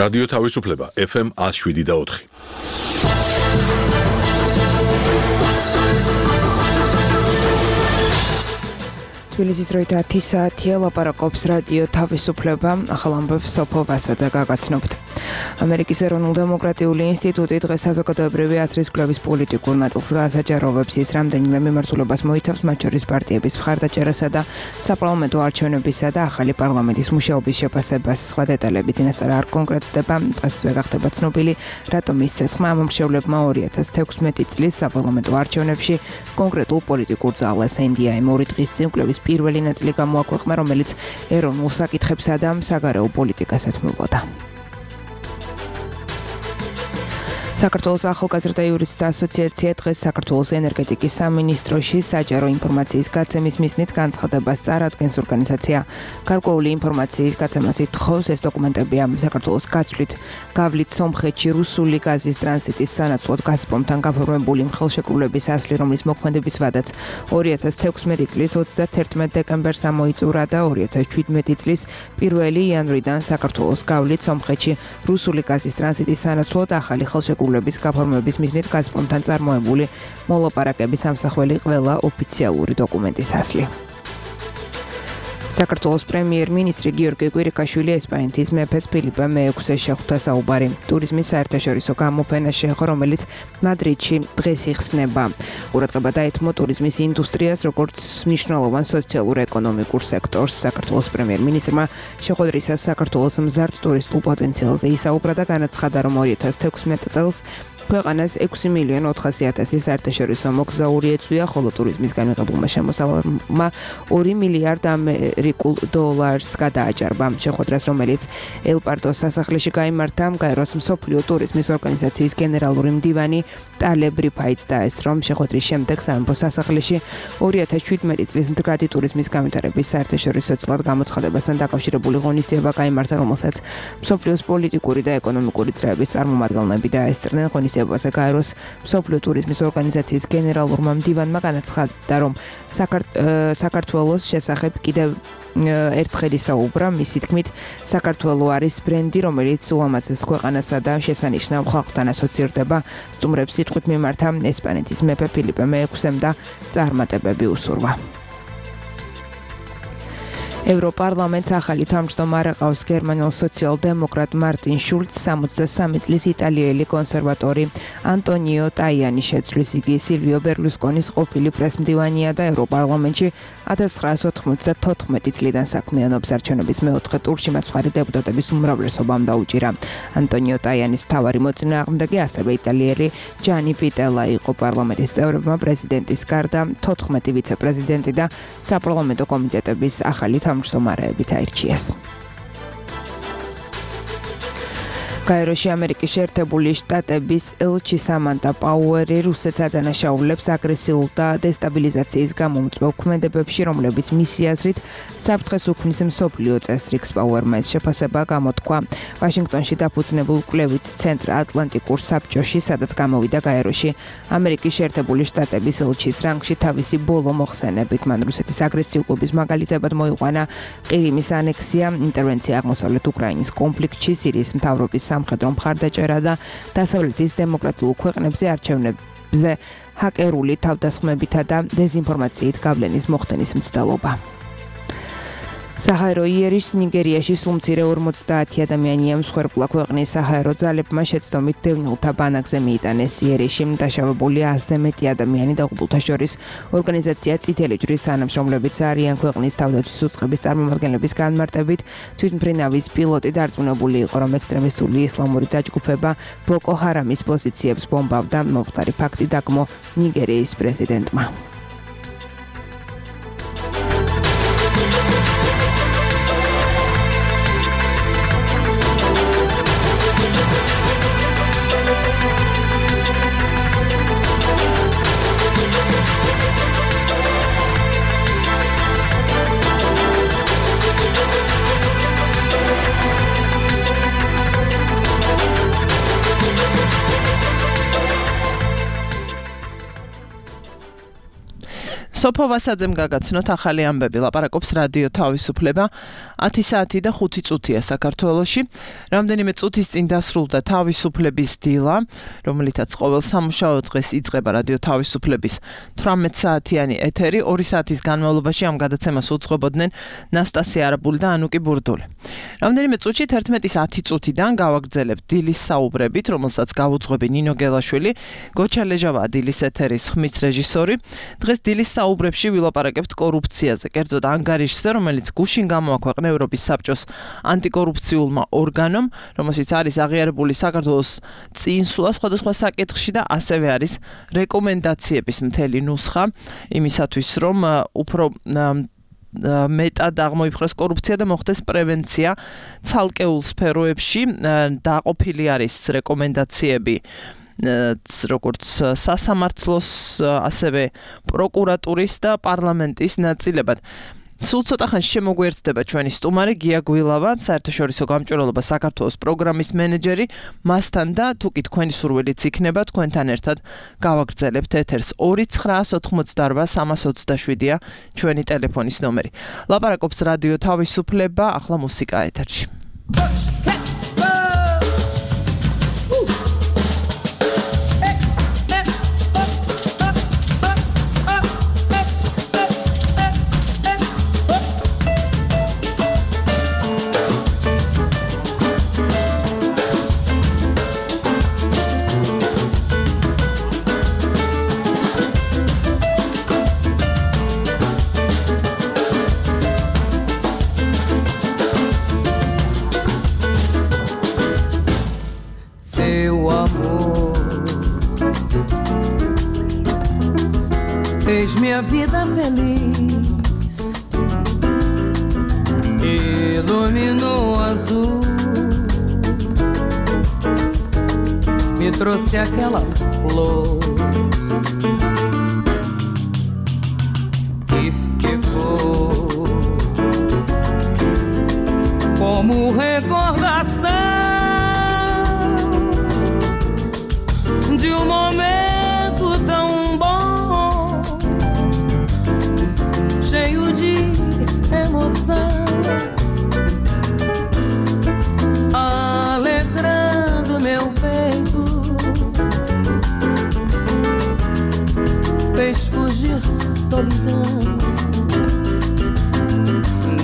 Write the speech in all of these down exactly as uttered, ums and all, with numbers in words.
რადიო თავისუფლება ეფ ემ one oh seven და four. თბილისის დროით ათი საათია, ლაპარაკობს რადიო თავისუფლება, ახალ ამბებს სოფო ვასაძე გაგაცნობთ. ამერიკის ეროვნულ-დემოკრატიული ინსტიტუტი დღეს საზოგადოებრივი აზრის კვლევის პოლიტიკურ ნაწილს გაასაჯაროვებს. ის რამდენიმე მიმართულებას მოიცავს, მათ შორის პარტიების მხარდაჭერასა და საპარლამენტო არჩევნებისა და ახალი პარლამენტის მუშაობის შეფასებას. სხვა დეტალები წინასწარ არ კონკრეტდება. დღესვე გახდება ცნობილი, რატომ ის ცეცხლმა ამ მრჩევლებმა ორი ათას თექვსმეტი წლის საპარლამენტო არჩევნებში კონკრეტულ პოლიტიკურ ძალას ენდიაემ ორი დღის წინ კვლევის პირველი ნაწილი გამოაქვეყნა, რომელიც ეროვნულ საკითხებსა და საგარეო პოლიტიკას ეთმობოდა. საქართველოს ახალგაზრდა იურისტთა ასოციაცია დღეს საქართველოს ენერგეტიკის სამინისტროში საჯარო ინფორმაციის გაცემის მიზნით განცხადებას წარადგენს. ორგანიზაცია გარკვეული ინფორმაციის გაცემას ითხოვს. ეს დოკუმენტებია საქართველოს გაცვლით გავლით სომხეთში რუსული გაზის ტრანზიტის სანაცვლოდ გაზპრომთან გაფორმებული ხელშეკრულების ასლი, რომლის მოქმედების ვადაც ორი ათას თექვსმეტი წლის ოცდაათერთმეტ დეკემბერს ამოიწურა და ორი ათას შვიდმეტი წლის პირველი იანვრიდან საქართველოს გავლით სომხეთში რუსული გაზის ტრანზიტის სანაცვლოდ ახალი ხელშეკრულების გაფორმების მიზნით გაზპრომთან წარმოებული მოლაპარაკების ამსახველი ყველა ოფიციალური დოკუმენტის ასლი. საქართველოს პრემიერ-მინისტრი გიორგი კვირიკაშვილი ესპანეთის მეფეს ფილიპე მეექვსეს შეხვდა საუბარი ტურიზმის საერთაშორისო გამოფენა შეეხო, რომელიც მადრიდში დღეს იხსნება. ყურადღება დაეთმო ტურიზმის ინდუსტრიას, როგორც მნიშვნელოვან სოციალურ-ეკონომიკურ სექტორს. საქართველოს პრემიერ-მინისტრმა შეხვედრისას საქართველოს მზარდ ტურისტულ პოტენციალზე ისაუბრა და განაცხადა, რომ ორი ათას თექვსმეტ წელს ქვეყანას ექვსი მილიონი ოთხასი ათასი საერთაშორისო მოგზაური ეწვია, ხოლო ტურიზმისგან მიღებულმა შემოსავალმა ორი მილიარდ ამერიკულ დოლარს გადააჭარბა. შეხვედრას, რომელიც ელ-პარდოს სასახლეში გაიმართა, გაეროს მსოფლიო ტურიზმის ორგანიზაციის გენერალური მდივანი ტალებ რიფაიც დაესწრო, რომ შეხვედრის შემდეგ სამეფო სასახლეში ორი ათას შვიდმეტი წლის მდგრადი ტურიზმის განვითარების საერთაშორისო წლად გამოცხადებასთან დაკავშირებული ღონისძიება გაიმართა, რომელსაც მსოფლიოს პოლიტიკური და ეკონომიკური წრეების წარმომადგენლები დაესწრნენ. ღონისძიებაზე გაეროს მსოფლიო ტურიზმის ორგანიზაციის გენერალურმა მდივანმა განაცხადა, რომ საქართველოს შესახებ კიდევ ერთხელ ისაუბრა. მისი თქმით, საქართველო არის ბრენდი, რომელიც ულამაზეს ქვეყანასა და შესანიშნავ ხალხთან ასოცირდება. სტუმრებს სიტყვით მიმართა ესპანეთის მეფე ფილიპე მეექვსემ და წარმატებები უსურვა. ევროპარლამენტს ახალი თავმჯდომარე ყავს გერმანელ სოციალ-დემოკრატ მარტინ შულცს. სამოცდასამი წლის იტალიელი კონსერვატორი ანტონიო ტაიანი შეცვლის. იგი სილვიო ბერლუსკონის ყოფილი პრესმდივანია და ევროპარლამენტში ათას ცხრაასი ოთხმოცდათოთხმეტი წლიდან საქმიანობს. არჩევნების მეოთხე ტურში მას მხარი დეპუტატების უმრავლესობამ დაუჭირა. ანტონიო ტაიანის მთავარი მოწინააღმდეგე ასევე იტალიელი ჯანი პიტელა იყო. პარლამენტის წევრებმა პრეზიდენტის გარდა თოთხმეტი ვიცე-პრეზიდენტი და საპარლამენტო კომიტეტების ახალი თავმჯდომარეებიც აირჩიეს. გაეროში ამერიკის შეერთებული შტატების ელჩი სამანტა პაუერი რუსეთს ადანაშაულებს აგრესიულ და დესტაბილიზაციის გამომწვევ ქმედებებში, რომლებიც მისი აზრით საფრთხეს უქმნის მსოფლიო წესრიგს. პაუერმა ეს შეფასება გამოთქვა ვაშინგტონში დაფუძნებულ კვლევით ცენტრ ატლანტიკურ საბჭოში, სადაც გამოვიდა გაეროში ამერიკის შეერთებული შტატების ელჩის რანგში თავისი ბოლო მოხსენებით. მან რუსეთის აგრესიულობის მაგალითებად მოიყვანა ყირიმის ანექსია, ინტერვენცია აღმოსავლეთ უკრაინის კონფლიქტში, სირიის მთავრობის სამხედრო მხარდაჭერა და დასავლეთის დემოკრატიულ ქვეყნებზე არჩევნებზე ჰაკერული თავდასხმებითა და დეზინფორმაციით გავლენის მოხდენის მცდელობა. საჰაერო იერიშს ნიგერიაში სულ მცირე ორმოცდაათი ადამიანია მსხვერპლა. ქვეყნის საჰაერო ძალებმა შეცდომით დევნილთა ბანაკზე მიიტანეს იერიში. დაშავებული ათზე მეტი ადამიანი დაღუპულთა შორის ორგანიზაცია წითელი ჯვრის თანამშრომლებიც არიან. ქვეყნის თავდაცვის უწყების წარმომადგენლების განმარტებით, თვითმფრინავის პილოტი დარწმუნებული იყო, რომ ექსტრემისტული ისლამური დაჯგუფება ბოკო ჰარამის პოზიციებს ბომბავდა. მომხდარი ფაქტი დაგმო ნიგერიის პრეზიდენტმა. სოფო ვასაძემ გაგაცნოთ ახალი ამბები. ლაპარაკობს რადიო თავისუფლება. ათი საათი და ხუთი წუთია საქართველოში. რამდენიმე წუთის წინ დასრულდა თავისუფლების დილა, რომელიცაც ყოველ სამუშაო დღეს იწყება რადიო თავისუფლების თვრამეტ საათიანი ეთერი. ორი საათის განმავლობაში ამ გადაცემას უძღვებოდნენ ნასტასია არაბული და ანუკი ბურდული. რამდენიმე წუთში თერთმეტის ათი წუთიდან გავაგრძელებთ დილის საუბრებით, რომელსაც გავუძღვები ნინო გელაშვილი, გოჩა ლეჟავაა დილის ეთერის ხმის რეჟისორი. დღეს დილის საუბრებში ვილაპარაკებთ კორუფციაზე, კერძოდ ანგარიშზე, რომელიც გუშინ გამოაქვეყნა ევროპის საბჭოს ანტიკორუფციულმა ორგანომ, რომელშიც არის აღიარებული საქართველოს წინსვლა სხვადასხვა საკითხში და ასევე არის რეკომენდაციების მთელი ნუსხა იმისათვის, რომ უფრო მეტად აღმოიფხვრეს კორუფცია და მოხდეს პრევენცია ცალკეულ სფეროებში. დაყოფილი არის რეკომენდაციები როგორც სასამართლოს, ასევე პროკურატურის და პარლამენტის ნაწილებად. სულ ცოტა ხანში შემოგვიერთდება ჩვენი სტუმარი გია გვილავა, საერთაშორისო გამჭვირვალობა საქართველოს პროგრამის მენეჯერი. მასთან და თუკი თქვენი სურვილიც იქნება, თქვენთან ერთად გავაგრძელებთ ეთერს. ორი ცხრაას ოთხმოცდაორბა სამას ოცდაშვიდია ჩვენი ტელეფონის ნომერი. ლაპარაკობს რადიო თავისუფლება, ახლა მუსიკა ეთერში. Fez minha vida feliz, iluminou o azul, me trouxe aquela flor que ficou como recordação de um momento tão bom, cheio de emoção, alegrando meu peito, fez fugir solidão,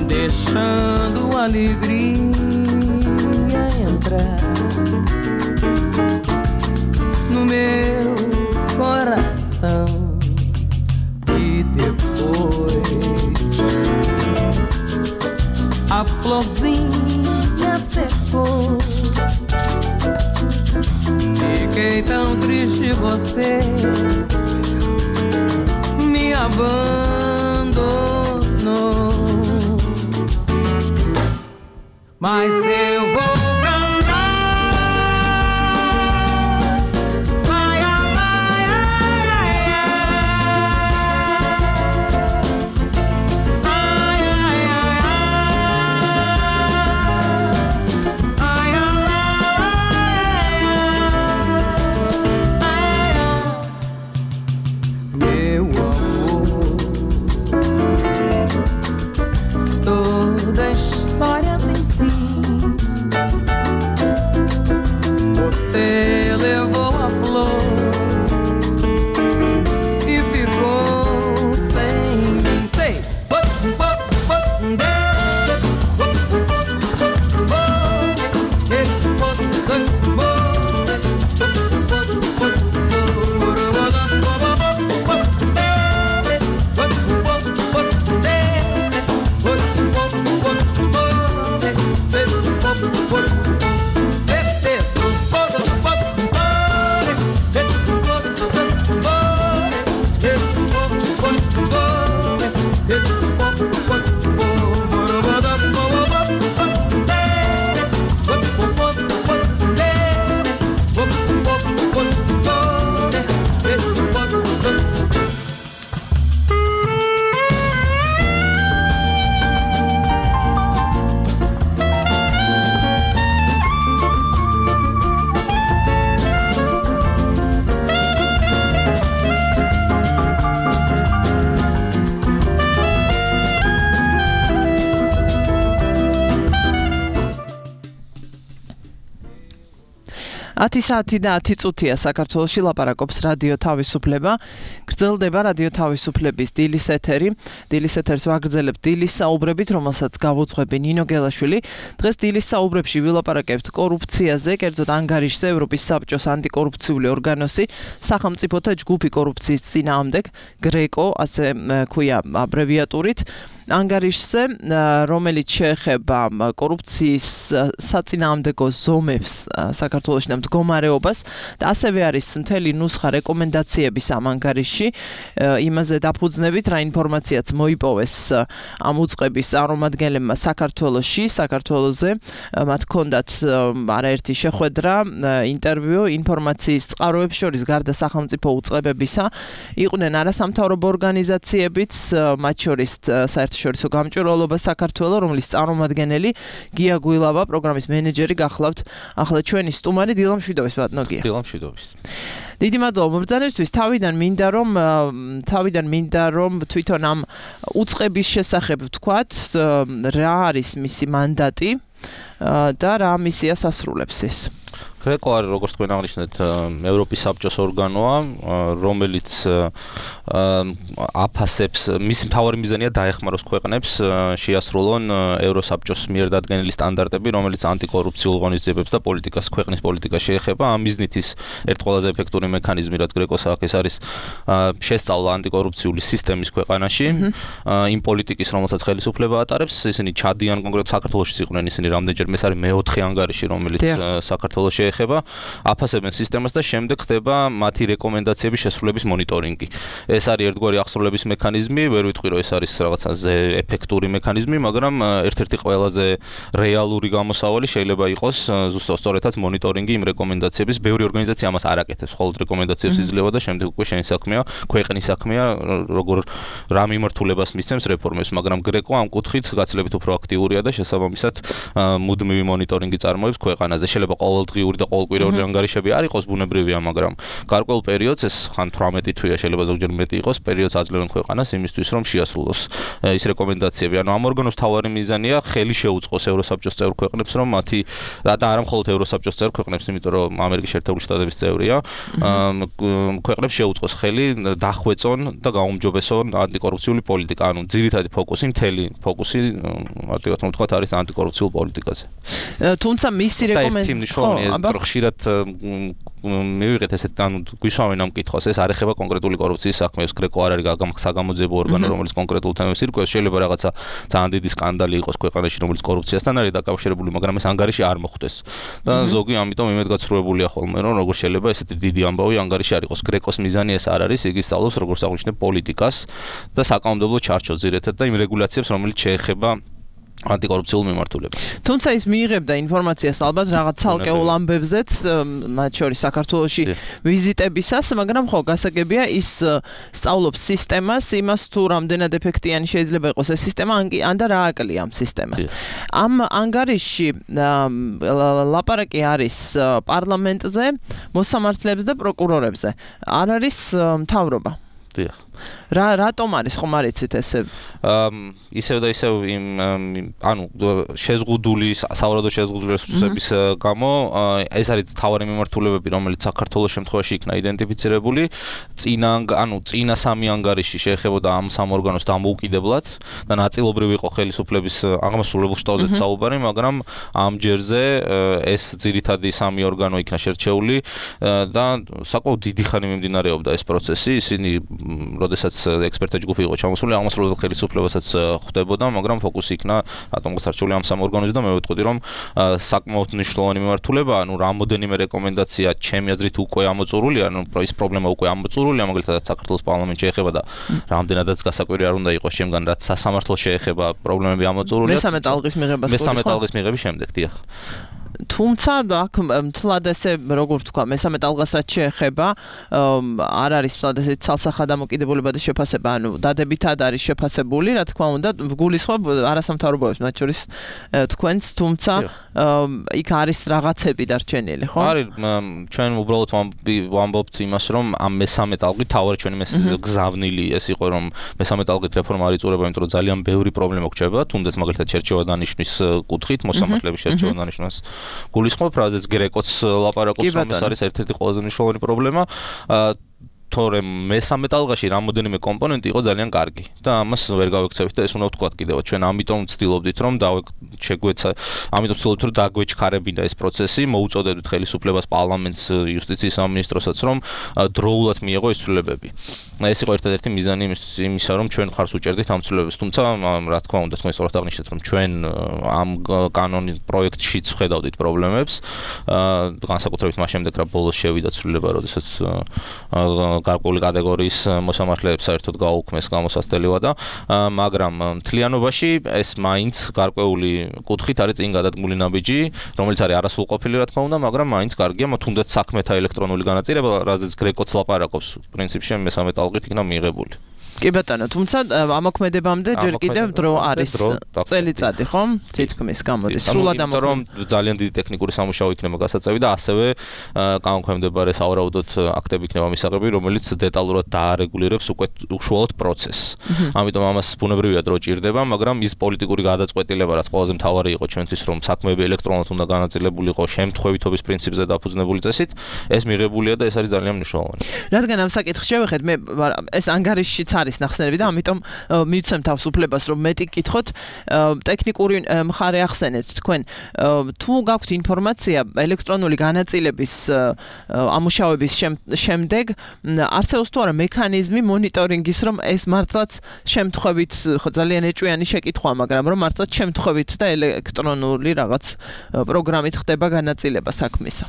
deixando a alegria entrar no meu coração. E depois a florzinha secou, fiquei tão triste, você me abandonou, mas eu vou ათი საათი და ათი წუთია საქართველოში ლაპარაკობს რადიო თავისუფლება. გრძელდება რადიო თავისუფლების დილის ეთერი. დილის ეთერს ვაგრძელებთ დილის საუბრებით, რომელსაც გავუძღვები ნინო გელაშვილი. დღეს დილის საუბრებში ვილაპარაკებთ კორუფციაზე, კერძოდ ანგარიშზე, ევროპის საბჭოს ანტიკორუფციული ორგანოსი, სახელმწიფოთა ჯგუფი კორუფციის წინააღმდეგ, გრეკო, ასე ქვია აბრევიატურით. ანგარიშზე, რომელიც შეეხება კორუფციის საწინააღმდეგო ზომებს საქართველოში და მდგომარეობას და ასევე არის მთელი ნუსხა რეკომენდაციების ამ ანგარიშში. იმაზე დაფუძნებით, რა ინფორმაციაც მოიპოვეს ამ უწყების წარმომადგენლებმა საქართველოში, საქართველოზე. მათ ჰქონდათ არაერთი შეხვედრა, ინტერვიუ, ინფორმაციის წყაროებს შორის გარდა სახელმწიფო უწყებებისა იყვნენ არასამთავრობო ორგანიზაციებიც, მათ შორის საერთაშორისო გამჭვირვალობა საქართველოს, რომლის წარმომადგენელი გია გუილავა, პროგრამის მენეჯერი გახლავთ. ახლა ჩვენი სტუმარი დილა მშვიდობის ბატონო გია. დილა მშვიდობის. დიდი მადლობა მობრძანებისთვის. თავიდან მინდა რომ თავიდან მინდა რომ თვითონ ამ უწყების შესახებ ვთქვათ, რა არის მისი მანდატი და რა მისიას ასრულებს ეს. გრეკო არის, როგორც თქვენ აღნიშნეთ, ევროპის საბჭოს ორგანოა, რომელიც აფასებს, მისი მთავარი მიზანია დაეხმაროს ქვეყნებს შეასრულონ ევროსაბჭოს მიერ დადგენილი სტანდარტები, რომელიც ანტიკორუფციულ ღონისძიებებს და პოლიტიკას, ქვეყნის პოლიტიკას შეეხება. ამ მიზნით ის ერთ ყველაზე ეფექტური მექანიზმი, რაც გრეკოს აქვს, ეს არის შესწავლა ანტიკორუფციული სისტემის ქვეყანაში, იმ პოლიტიკის, რომელსაც ხელისუფლება ატარებს. ისინი ჩადიან კონკრეტულად საქართველოში იყვნენ ისინი რამდენჯერ, ეს არის მეოთხე ანგარიში, რომელიც საქართველოს შეეხება, აფასებენ სისტემას და შემდეგ ხდება მათი რეკომენდაციების შესრულების მონიტორინგი. ეს არის ერთგვარი აღსრულების მექანიზმი, ვერ ვიტყვი რომ ეს არის რაღაცაზე ეფექტური მექანიზმი, მაგრამ ერთ-ერთი ყველაზე რეალური გამოსავალი შეიძლება იყოს ზუსტად სწორედაც მონიტორინგი იმ რეკომენდაციების. ბევრი ორგანიზაცია ამას არ აკეთებს, მხოლოდ რეკომენდაციებს იძლევა და შემდეგ უკვე შენი საქმეა, ქვეყნის საქმეა, როგორ რა მიმართულებას მისცემს რეფორმებს, მაგრამ გრეკო ამ კუთხით გაცილებით უფრო აქტიურია და შესაბამისად მუდმივი მონიტორინგი წარმოებს ქვეყანაზე. შეიძლება ყოველდღიური და ყოველკვირეული ანგარიშები არ იყოს ბუნებრივია, მაგრამ გარკვეულ პერიოდს, ეს ხან თვრამეტი თვეა, შეიძლება ზოგჯერ მეტი იყოს, პერიოდს აძლევენ ქვეყანას იმისთვის, რომ შეასრულოს ის რეკომენდაციები. ანუ ამ ორგანოს თავარი მიზანია ხელი შეუწყოს ევროსაბჭოს წევრ ქვეყნებს, რომ მათი და არა მხოლოდ ევროსაბჭოს წევრ ქვეყნებს, იმიტომ რომ ამერიკის შეერთებული შტატების წევრია, ქვეყნებს შეუწყოს ხელი დახვეწონ და გაუმჯობესონ ანტიკორუფციული პოლიტიკა. ანუ ძირითადი ფოკუსი, მთელი ფოკუსი, მარტივად რომ ვთქვათ, არის ანტიკორუფციულ პოლიტიკაზე. თუმცა მისი რეკომენდაცია ხშირად მივიღეთ ესეთ, ანუ გვისვამენ ამ კითხვას, ეს არ ეხება კონკრეტული კორუფციის საქმეს. გრეკო არ არის საგამოძიებო ორგანო, რომელიც კონკრეტულ თემებს ირკვევს. შეიძლება რაღაცა ძალიან დიდი სკანდალი იყოს ქვეყანაში, რომელიც კორუფციასთან არის დაკავშირებული, მაგრამ ეს ანგარიში არ მოხვდეს. და ზოგი ამიტომ იმედგაცრუებულია ხოლმე, რომ როგორ შეიძლება ესეთი დიდი ამბავი ანგარიში არ იყოს. გრეკოს მიზანი ეს არ არის, იგი სწავლობს როგორც აღნიშნე პოლიტიკას და საკანონმდებლო ჩარჩოს ძირითადად და იმ რეგულაციებს, რომელიც შეეხება ანტიკორუფციულ მიმართულებას. თუმცა ის მიიღებდა ინფორმაციას ალბათ რაღაც ცალკეულ ამბებზეც, მათ შორის საქართველოში ვიზიტებისას, მაგრამ ხო გასაგებია ის სწავლობს სისტემას, იმას თუ რამდენად ეფექტიანი შეიძლება იყოს ეს სისტემა, ან და რა აკლია ამ სისტემას. ამ ანგარიშში ლაპარაკი არის პარლამენტზე, მოსამართლეებზე და პროკურორებზე. არ არის მთავრობა. დიახ. რა რატომ არის ხომ არ იცით ესე? ისევ და ისევ იმ ანუ შეზღუდული საავადმყოფო შეზღუდული რესურსების გამო ეს არის თავარი მიმართულებები, რომელიც საქართველოს შემთხვევაში იქნა იდენტიფიცირებული. წინა ანუ წინა სამი ანგარიში შეეხებოდა ამ სამ ორგანოს დამოუკიდებლად და ნაწილობრივ იყო ხელისუფლების აღმასრულებელ შტოზე საუბარი, მაგრამ ამ ჯერზე ეს ძირითადი სამი ორგანო იქნა შერჩეული და საკმაოდ დიდი ხანი მიმდინარეობდა ეს პროცესი. ისინი როდესაც ექსპერტთა ჯგუფი იყო ჩამოსული, აღმასრულებელ ხელისუფლებასაც ხვდებოდა, მაგრამ ფოკუსი იქნა რატომ გასარჩეული ამ სამ ორგანოზე და მე ვიტყვი, რომ საკმაოდ მნიშვნელოვანი მიმართულებაა, ანუ რამოდენიმე რეკომენდაცია ჩემი აზრით უკვე ამოწურულია, ანუ ის პრობლემა უკვე ამოწურულია, მაგალითად საქართველოს პარლამენტში შეეხება და რამდენადაც გასაკვირი არ უნდა იყოს შემგან, რაც სასამართლოს შეეხება პრობლემები ამოწურულია. მესამე ტალღის მიღებას მესამე ტალღის მიღების შემდეგ, დიახ. თუმცა აქ მთლად ესე როგორ ვთქვა, მესამე ტალღას რაც შეეხება, არ არის მთლად ესე ცალსახა დამოკიდებულება და შეფასება, ანუ დადებითად არის შეფასებული, რა თქმა უნდა, ვგულისხმობ არასამთავრობოებს, მათ შორის თქვენს, თუმცა იქ არის რაღაცები დარჩენილი, ხო? არის, ჩვენ უბრალოდ ვამბობთ იმას, რომ ამ მესამე ტალღით თავარი ჩვენი გზავნილი ეს იყო, რომ მესამე ტალღით რეფორმა არ იწურება, იმიტომ რომ ძალიან ბევრი პრობლემა გვჭირდება, თუნდაც მაგალითად შერჩევა დანიშვნის კუთხით, მოსამართლეების შერჩევა დანიშვნას გულისხმობ, რაზეც გრეკოც ლაპარაკობს, რომ ეს არის ერთ-ერთი ყველაზე მნიშვნელოვანი პრობლემა. თორემ მესამე ტალღაში რამოდენიმე კომპონენტი იყო ძალიან კარგი და ამას ვერ გავექცევით და ეს უნდა ვთქვათ კიდევ ჩვენ ამიტომ ვცდილობდით რომ შეგვეცა ამიტომ ვცდილობთ რომ დაგვეჩქარებინა ეს პროცესი მოუწოდებდით ხელისუფლებას პარლამენტს იუსტიციის სამინისტროსაც რომ დროულად მიეღო ეს ცვლილებები ეს იყო ერთადერთი მიზანი იმისა რომ ჩვენ ხარს უჭერდით ამ ცვლილებებს თუმცა რა თქმა უნდა თქვენ სწორად აღნიშნეთ რომ ჩვენ ამ კანონის პროექტშიც ვხედავდით პრობლემებს განსაკუთრებით მას შემდეგ რა ბოლოს შევიდა ცვლილება როდესაც გარკვეული კატეგორიის მოსამართლეებს საერთოდ გაუქმეს გამოსასწრება და მაგრამ მთლიანობაში ეს მაინც გარკვეული კუთხით არის წინ გადადგმული ნაბიჯი რომელიც არის არასრულყოფილი რა თქმა უნდა მაგრამ მაინც კარგია თუნდაც საქმეთა ელექტრონული განაწილება რაზეც გრეკოც ლაპარაკობს პრინციპში მესამე ტალღით იქნა მიღებული კი ბატონო, თუმცა ამოქმედებამდე ჯერ კიდევ დრო არის წელიწადი, ხო? თითქმის გამოდის. სრულად ამოქმედება. რომ ძალიან დიდი ტექნიკური სამუშაო იქნება გასაწევი და ასევე განქვემდებარე სავარაუდოდ აქტები იქნება მისაღები, რომელიც დეტალურად დაარეგულირებს უკვე უშუალოდ პროცესს. ამიტომ ამას ბუნებრივია დრო ჭირდება, მაგრამ ის პოლიტიკური გადაწყვეტილება, რაც ყველაზე მთავარი იყო ჩვენთვის, რომ საქმეები ელექტრონულად უნდა განაწილებულიყო შემთხვევითობის პრინციპზე დაფუძნებული წესით, ეს მიღებულია და ეს არის ძალიან მნიშვნელოვანი. რადგან ამ საკითხს შევეხეთ, მე ეს ანგარიშშიც არის ნახსენები და ამიტომ მივცემ თავს უფლებას რომ მეტი გკითხოთ ტექნიკური მხარე ახსენეთ თქვენ თუ გაქვთ ინფორმაცია ელექტრონული განაწილების ამუშავების შემდეგ არსებობს თუ არა მექანიზმი მონიტორინგის რომ ეს მართლაც შემთხვევით ხო ძალიან ეჭვიანი შეკითხვა მაგრამ რომ მართლაც შემთხვევით და ელექტრონული რაღაც პროგრამით ხდება განაწილება საქმისა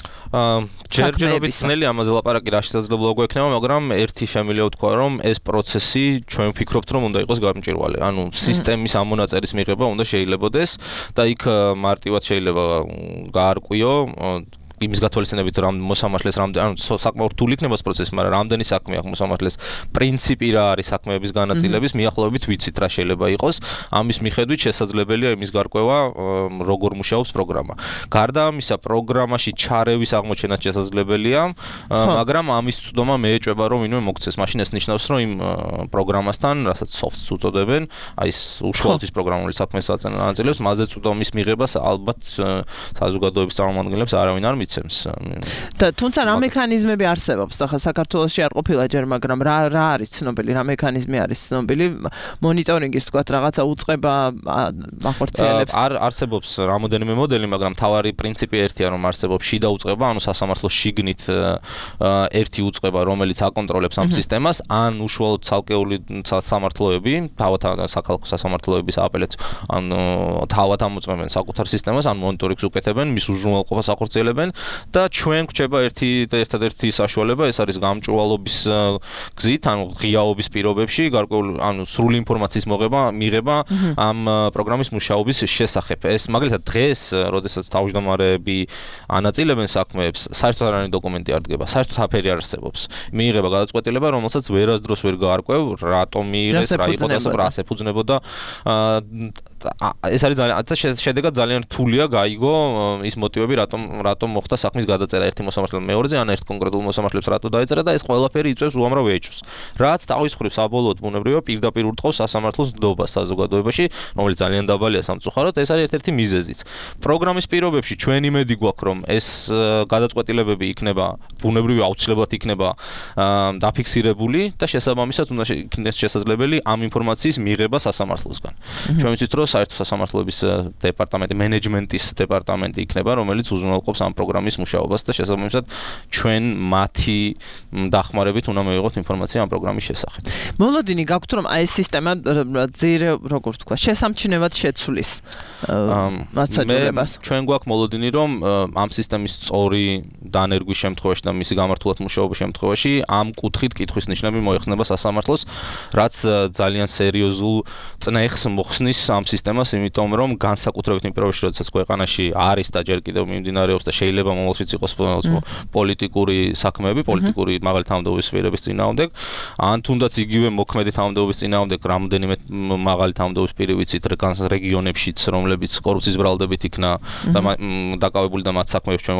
ჯერჯერობით ძნელი ამაზე ლაპარაკი რა შესაძლებლობა გვექნება მაგრამ ერთი შემიძლია ვთქვა რომ ეს პროცესი ჩვენ ვფიქრობთ რომ უნდა იყოს გამჭვირვალე. ანუ სისტემის ამონაწერის მიღება უნდა შეიძლებოდეს და იქ მარტივად შეიძლება გაარკვიო იმის გათვალისწინებით რომ მოსამართლეს რამდენი ანუ საკმაოდ რთული იქნება ეს პროცესი, მაგრამ რამდენი საქმე აქვს მოსამართლეს პრინციპი რა არის საქმეების განაწილების მიახლოებით ვიცით რა შეიძლება იყოს. ამის მიხედვით შესაძლებელია იმის გარკვევა როგორ მუშაობს პროგრამა. გარდა ამისა პროგრამაში ჩარევის აღმოჩენაც შესაძლებელია, მაგრამ ამის წვდომა მეეჭვება რომ ვინმე მოგცეს. მაშინ ეს ნიშნავს რომ იმ პროგრამასთან, რასაც soft-ს უწოდებენ, აი ეს უშუალოდ ის პროგრამული საქმეს აწილებს, მასზე წვდომის მიღებას ალბათ საზოგადოების წარმომადგენლებს არავინ არ და თუმცა რა მექანიზმები არსებობს ახლა საქართველოში არ ყოფილა ჯერ მაგრამ რა რა არის ცნობილი რა მექანიზმი არის ცნობილი მონიტორინგის თქვათ რაღაცა უწყება ახორციელებს არ არსებობს რამოდენიმე მოდელი მაგრამ თავარი პრინციპი ერთია რომ არსებობს შიდა უწყება ანუ სასამართლოს შიგნით ერთი უწყება რომელიც აკონტროლებს ამ სისტემას ან უშუალოდ ცალკეული სასამართლოები თავად საქალაქო სასამართლოების აპელაციო ან თავად ამოწმებენ საკუთარ სისტემას ან მონიტორინგს უკეთებენ მის უზრუნველყოფას ახორციელებენ და ჩვენ გვჭება ერთი და ერთადერთი საშუალება ეს არის გამჭვირვალობის გზით ანუ ღიაობის პირობებში გარკვეული ანუ სრული ინფორმაციის მოღება მიღება ამ პროგრამის მუშაობის შესახებ ეს მაგალითად დღეს როდესაც თავმჯდომარეები ანაწილებენ საქმეებს საერთოდ არანაირი დოკუმენტი არ დგება საერთოდ აფერი არ არსებობს მიიღება გადაწყვეტილება რომელსაც ვერასდროს ვერ გაარკვევ რატომ მიიღეს რა იყო და რა შეფუძნებოდა ეს არის ძალიან შედეგად ძალიან რთულია გაიგო ის მოტივები რატომ რატომ მოხდა საქმის გადაწერა ერთი მოსამართლემ მეორეზე ან ერთ კონკრეტულ მოსამართლებს რატო დაეწერა და ეს ყველაფერი იწვევს უამრავ ეჭვს. რაც თავის მხრივ საბოლოოდ ბუნებრივია პირდაპირ ურტყავს სასამართლოს ნდობას საზოგადოებაში, რომელიც ძალიან დაბალია სამწუხაროდ, ეს არის ერთ-ერთი მიზეზიც. პროგრამის პირობებში ჩვენ იმედი გვაქვს, რომ ეს გადაწყვეტილებები იქნება ბუნებრივია აუცილებლად იქნება დაფიქსირებული და შესაბამისად უნდა იქნეს შესაძლებელი ამ ინფორმაციის მიღება სასამართლოსგან. ჩვენ ვიცით, რომ საერთო სასამართლოების დეპარტამენტი, მენეჯმენტის დეპარტამენტი იქნება, რომელიც უზრუნველყოფს ამ პროგრამის მუშაობას და შესაბამისად ჩვენ მათი დახმარებით უნდა მივიღოთ ინფორმაცია ამ პროგრამის შესახებ. მოლოდინი გაქვთ რომ აი ეს სისტემა ძირე როგორ თქვა შესამჩნევად შეცვლის მაცაჯულებას. ჩვენ გვაქვს მოლოდინი რომ ამ სისტემის სწორი დანერგვის შემთხვევაში და მისი გამართულად მუშაობის შემთხვევაში ამ კუთხით კითხვის ნიშნები მოიხსნება სასამართლოს, რაც ძალიან სერიოზულ წნეხს მოხსნის ამ სისტემას, იმიტომ რომ განსაკუთრებით იმ პირობებში, როდესაც ქვეყანაში არის და ჯერ კიდევ მიმდინარეობს და შეიძლება მომავალშიც იყოს პოლიტიკური საქმეები, პოლიტიკური მაღალი თანამდებობის პირების წინააღმდეგ, ან თუნდაც იგივე მოქმედი თანამდებობის წინააღმდეგ რამდენიმე მაღალი თანამდებობის პირი ვიცით რეგიონებშიც, რომლებიც კორუფციის ბრალდებით იქნა და დაკავებული და მათ საქმეებს ჩვენ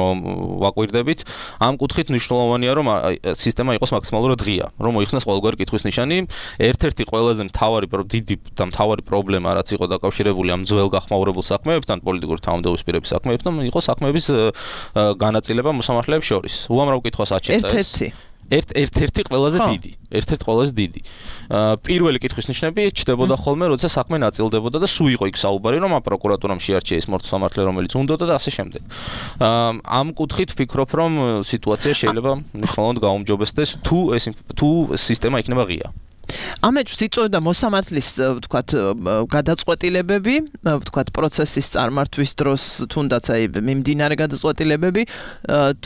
ვაკვირდებით. ამ კუთხით მნიშვნელოვანია, რომ სისტემა იყოს მაქსიმალურად ღია, რომ მოიხსნას ყოველგვარი კითხვის ნიშანი. ერთ-ერთი ყველაზე მთავარი დიდი და მთავარი პრობლემა, რაც იყო დაკავშირებული ამ ძველ გახმაურებულ საქმეებთან, პოლიტიკური თავმჯდომარეობის საქმეებთან, იყო საქმეების განაწილება მოსამართლეებს შორის. უამრავ კითხვას აჩენდა ეს. ერთ-ერთი ერთ ერთ-ერთი ყველაზე დიდი, ერთ-ერთი ყველაზე დიდი. პირველი კითხვის ნიშნები ჩდებოდა ხოლმე, როცა საქმე ნაწილდებოდა და სულ იყო იქ საუბარი, რომ პროკურატურამ შეარჩია ის მოსამართლე, რომელიც უნდოდა და ასე შემდეგ. ამ კუთხით ვფიქრობ, რომ სიტუაცია შეიძლება მნიშვნელოვნად გაუმჯობესდეს, თუ ეს თუ სისტემა იქნება ღია. ამეჯს იწვევდა მოსამართლის ვთქვათ გადაწყვეტილებები, ვთქვათ პროცესის წარმართვის დროს თუნდაც აი მიმდინარე გადაწყვეტილებები,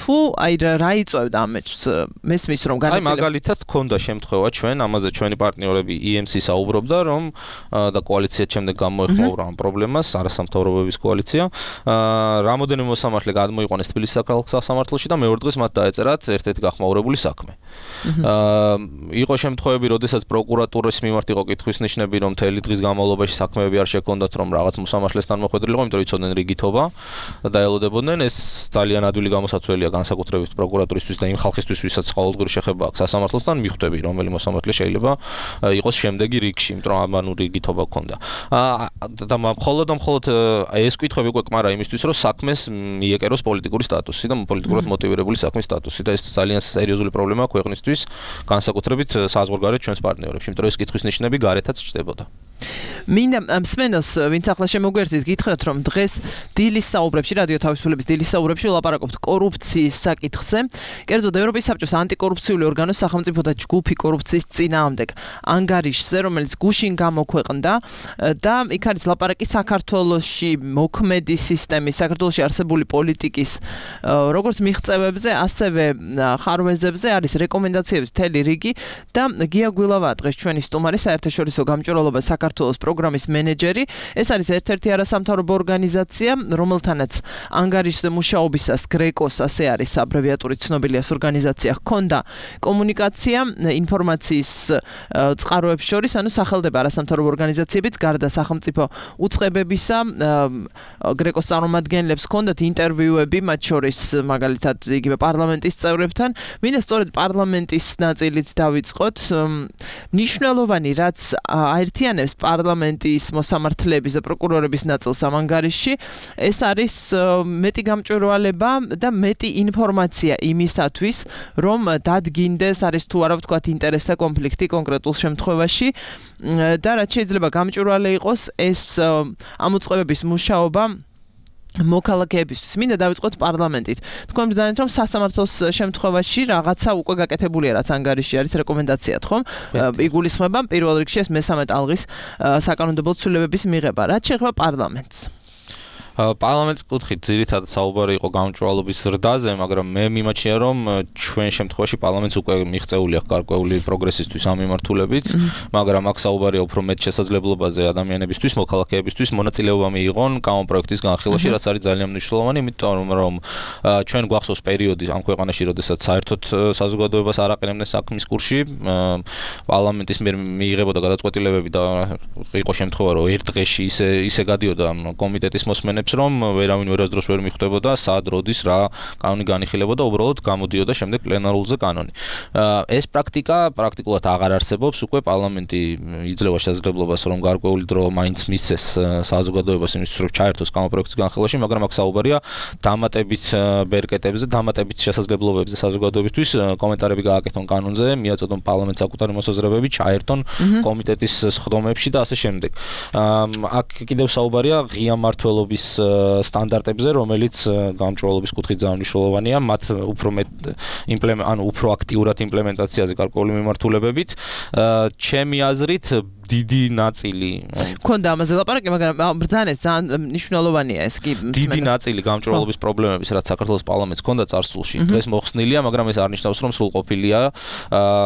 თუ აი რა იწვევდა ამეჯს? მესმის რომ აი მაგალითად ქონდა შემთხვევა ჩვენ, ამაზე ჩვენი პარტნიორები ი ემ სი საუბრობდა, რომ და კოალიცია შემდეგ გამოეხმაურა ამ პრობლემას, არასამთავრობოების კოალიცია. რამოდენიმე მოსამართლე გადმოიყვანეს თბილისის საქალაქო სასამართლოში და მეორე დღეს მათ დაეწერათ ერთ-ერთი გახმაურებული საქმე. იყო შემთხვევები, როდესაც პროკურატურის მიმართ იყო კითხვის ნიშნები, რომ მთელი დღის განმავლობაში საქმეები არ შექონდათ, რომ რაღაც მოსამართლესთან მოხვედრილიყო, იმიტომ რომ იცოდნენ რიგითობა და დაელოდებოდნენ. ეს ძალიან ადვილი გამოსაცვლელია განსაკუთრებით პროკურატურისთვის და იმ ხალხისთვის, ვისაც ყოველდღიური შეხება აქვს სასამართლოსთან, მიხვდები, რომელი მოსამართლე შეიძლება იყოს შემდეგი რიგში, იმიტომ რომ ამანუ რიგითობა ქონდა. და მხოლოდ და მხოლოდ ეს კითხვები უკვე კმარა იმისთვის, რომ საქმეს მიეკეროს პოლიტიკური სტატუსი და პოლიტიკურად მოტივირებული საქმის სტატუსი და ეს ძალიან სერიოზული პრობლემაა ქვეყნისთვის, განსაკუთრებით საზღვარგარეთ ჩვენს პარტნიორებში, იმიტომ რომ ეს კითხვის ნიშნები გარეთაც ჩნდებოდა. მინდა მსმენელს, ვინც ახლა შემოგვერთით, გითხრათ, რომ დღეს დილის საუბრებში, რადიო თავისუფლების დილის საუბრებში ვლაპარაკობთ კორუფციის საკითხზე. კერძოდ ევროპის საბჭოს ანტიკორუფციული ორგანოს სახელმწიფო და ჯგუფი კორუფციის წინააღმდეგ ანგარიშზე, რომელიც გუშინ გამოქვეყნდა და იქ არის ლაპარაკი საქართველოში მოქმედი სისტემის, საქართველოში არსებული პოლიტიკის როგორც მიღწევებზე, ასევე ხარვეზებზე არის რეკომენდაციების მთელი რიგი და გია გვილავაა დღეს ჩვენი სტუმარი, საერთაშორისო გამჭვირვალობა საქართველოს პროგრამის მენეჯერი. ეს არის ერთ-ერთი არასამთავრობო ორგანიზაცია, რომელთანაც ანგარიშზე მუშაობისას გრეკოს, ასე არის აბრევიატურით ცნობილი ეს ორგანიზაცია, ჰქონდა კომუნიკაცია ინფორმაციის წყაროებს შორის, ანუ სახელდება არასამთავრობო ორგანიზაციებიც გარდა სახელმწიფო უწყებებისა, გრეკოს წარმომადგენლებს ჰქონდათ ინტერვიუები, მათ შორის მაგალითად იგივე პარლამენტის წევრებთან. მინდა სწორედ პარლამენტის ნაწილიც დავიწყოთ. მნიშვნელოვანი რაც აერთიანებს პარლამენტის მოსამართლეების და პროკურორების ნაწილს ამ ანგარიშში, ეს არის მეტი გამჭვირვალება და მეტი ინფორმაცია იმისათვის, რომ დადგინდეს არის თუ არა ვთქვათ ინტერესთა კონფლიქტი კონკრეტულ შემთხვევაში და რაც შეიძლება გამჭვირვალე იყოს ეს ამ უწყებების მუშაობა მოქალაქეებისთვის. მინდა დავიწყოთ პარლამენტით. თქვენ ბრძანეთ, რომ სასამართლოს შემთხვევაში რაღაცა უკვე გაკეთებულია, რაც ანგარიში არის რეკომენდაციად, ხომ? იგულისხმება პირველ რიგში ეს მესამე ტალღის საკანონმდებლო ცვლილებების მიღება. რაც შეეხება პარლამენტს. პარლამენტის კუთხით ძირითადად საუბარი იყო გამჭვირვალობის ზრდაზე, მაგრამ მე მიმაჩნია, რომ ჩვენ შემთხვევაში პარლამენტს უკვე მიღწეული აქვს გარკვეული პროგრესისთვის ამ მიმართულებით, მაგრამ აქ საუბარია უფრო მეტ შესაძლებლობაზე ადამიანებისთვის, მოქალაქეებისთვის მონაწილეობა მიიღონ კანონპროექტის განხილვაში, რაც არის ძალიან მნიშვნელოვანი, იმიტომ რომ ჩვენ გვახსოვს პერიოდი ამ ქვეყანაში, როდესაც საერთოდ საზოგადოებას არ აყენებდნენ საქმის კურსში, პარლამენტის მიერ მიიღებოდა გადაწყვეტილებები და იყო შემთხვევა, რომ ერთ დღეში ისე ისე გადიოდა კომიტეტის მოსმენებს, რომ ვერავინ ვერასდროს ვერ მიხვდებოდა, სად როდის რა კანონი განიხილებოდა, უბრალოდ გამოდიოდა შემდეგ პლენარულზე კანონი. ეს პრაქტიკა პრაქტიკულად აღარ არსებობს, უკვე პარლამენტი იძლევა შესაძლებლობას, რომ გარკვეული დრო მაინც მისცეს საზოგადოებას იმისთვის, რომ ჩაერთოს კანონპროექტის განხილვაში, მაგრამ აქ საუბარია დამატებით ბერკეტებზე, დამატებით შესაძლებლობებზე საზოგადოებისთვის, კომენტარები გააკეთონ კანონზე, მიაწოდონ პარლამენტს საკუთარი მოსაზრებები, ჩაერთონ კომიტეტის სხდომებში და ასე შემდეგ. აქ კიდევ საუბარია ღია მმართველობის სტანდარტებზე, რომელიც გამჭვირვალობის კუთხით ძალიან მნიშვნელოვანია, მათ უფრო მეტ იმპლემენტ, ანუ უფრო აქტიურად იმპლემენტაციაზე გარკვეული მიმართულებებით. ჩემი აზრით დიდი ნაწილი ქონდა ამაზე ლაპარაკი, მაგრამ ბრძანეთ ძალიან მნიშვნელოვანია ეს კი. დიდი ნაწილი გამჭვირვალობის პრობლემების, რაც საქართველოს პარლამენტს ქონდა წარსულში, დღეს მოხსნილია, მაგრამ ეს არ ნიშნავს, რომ სრულყოფილია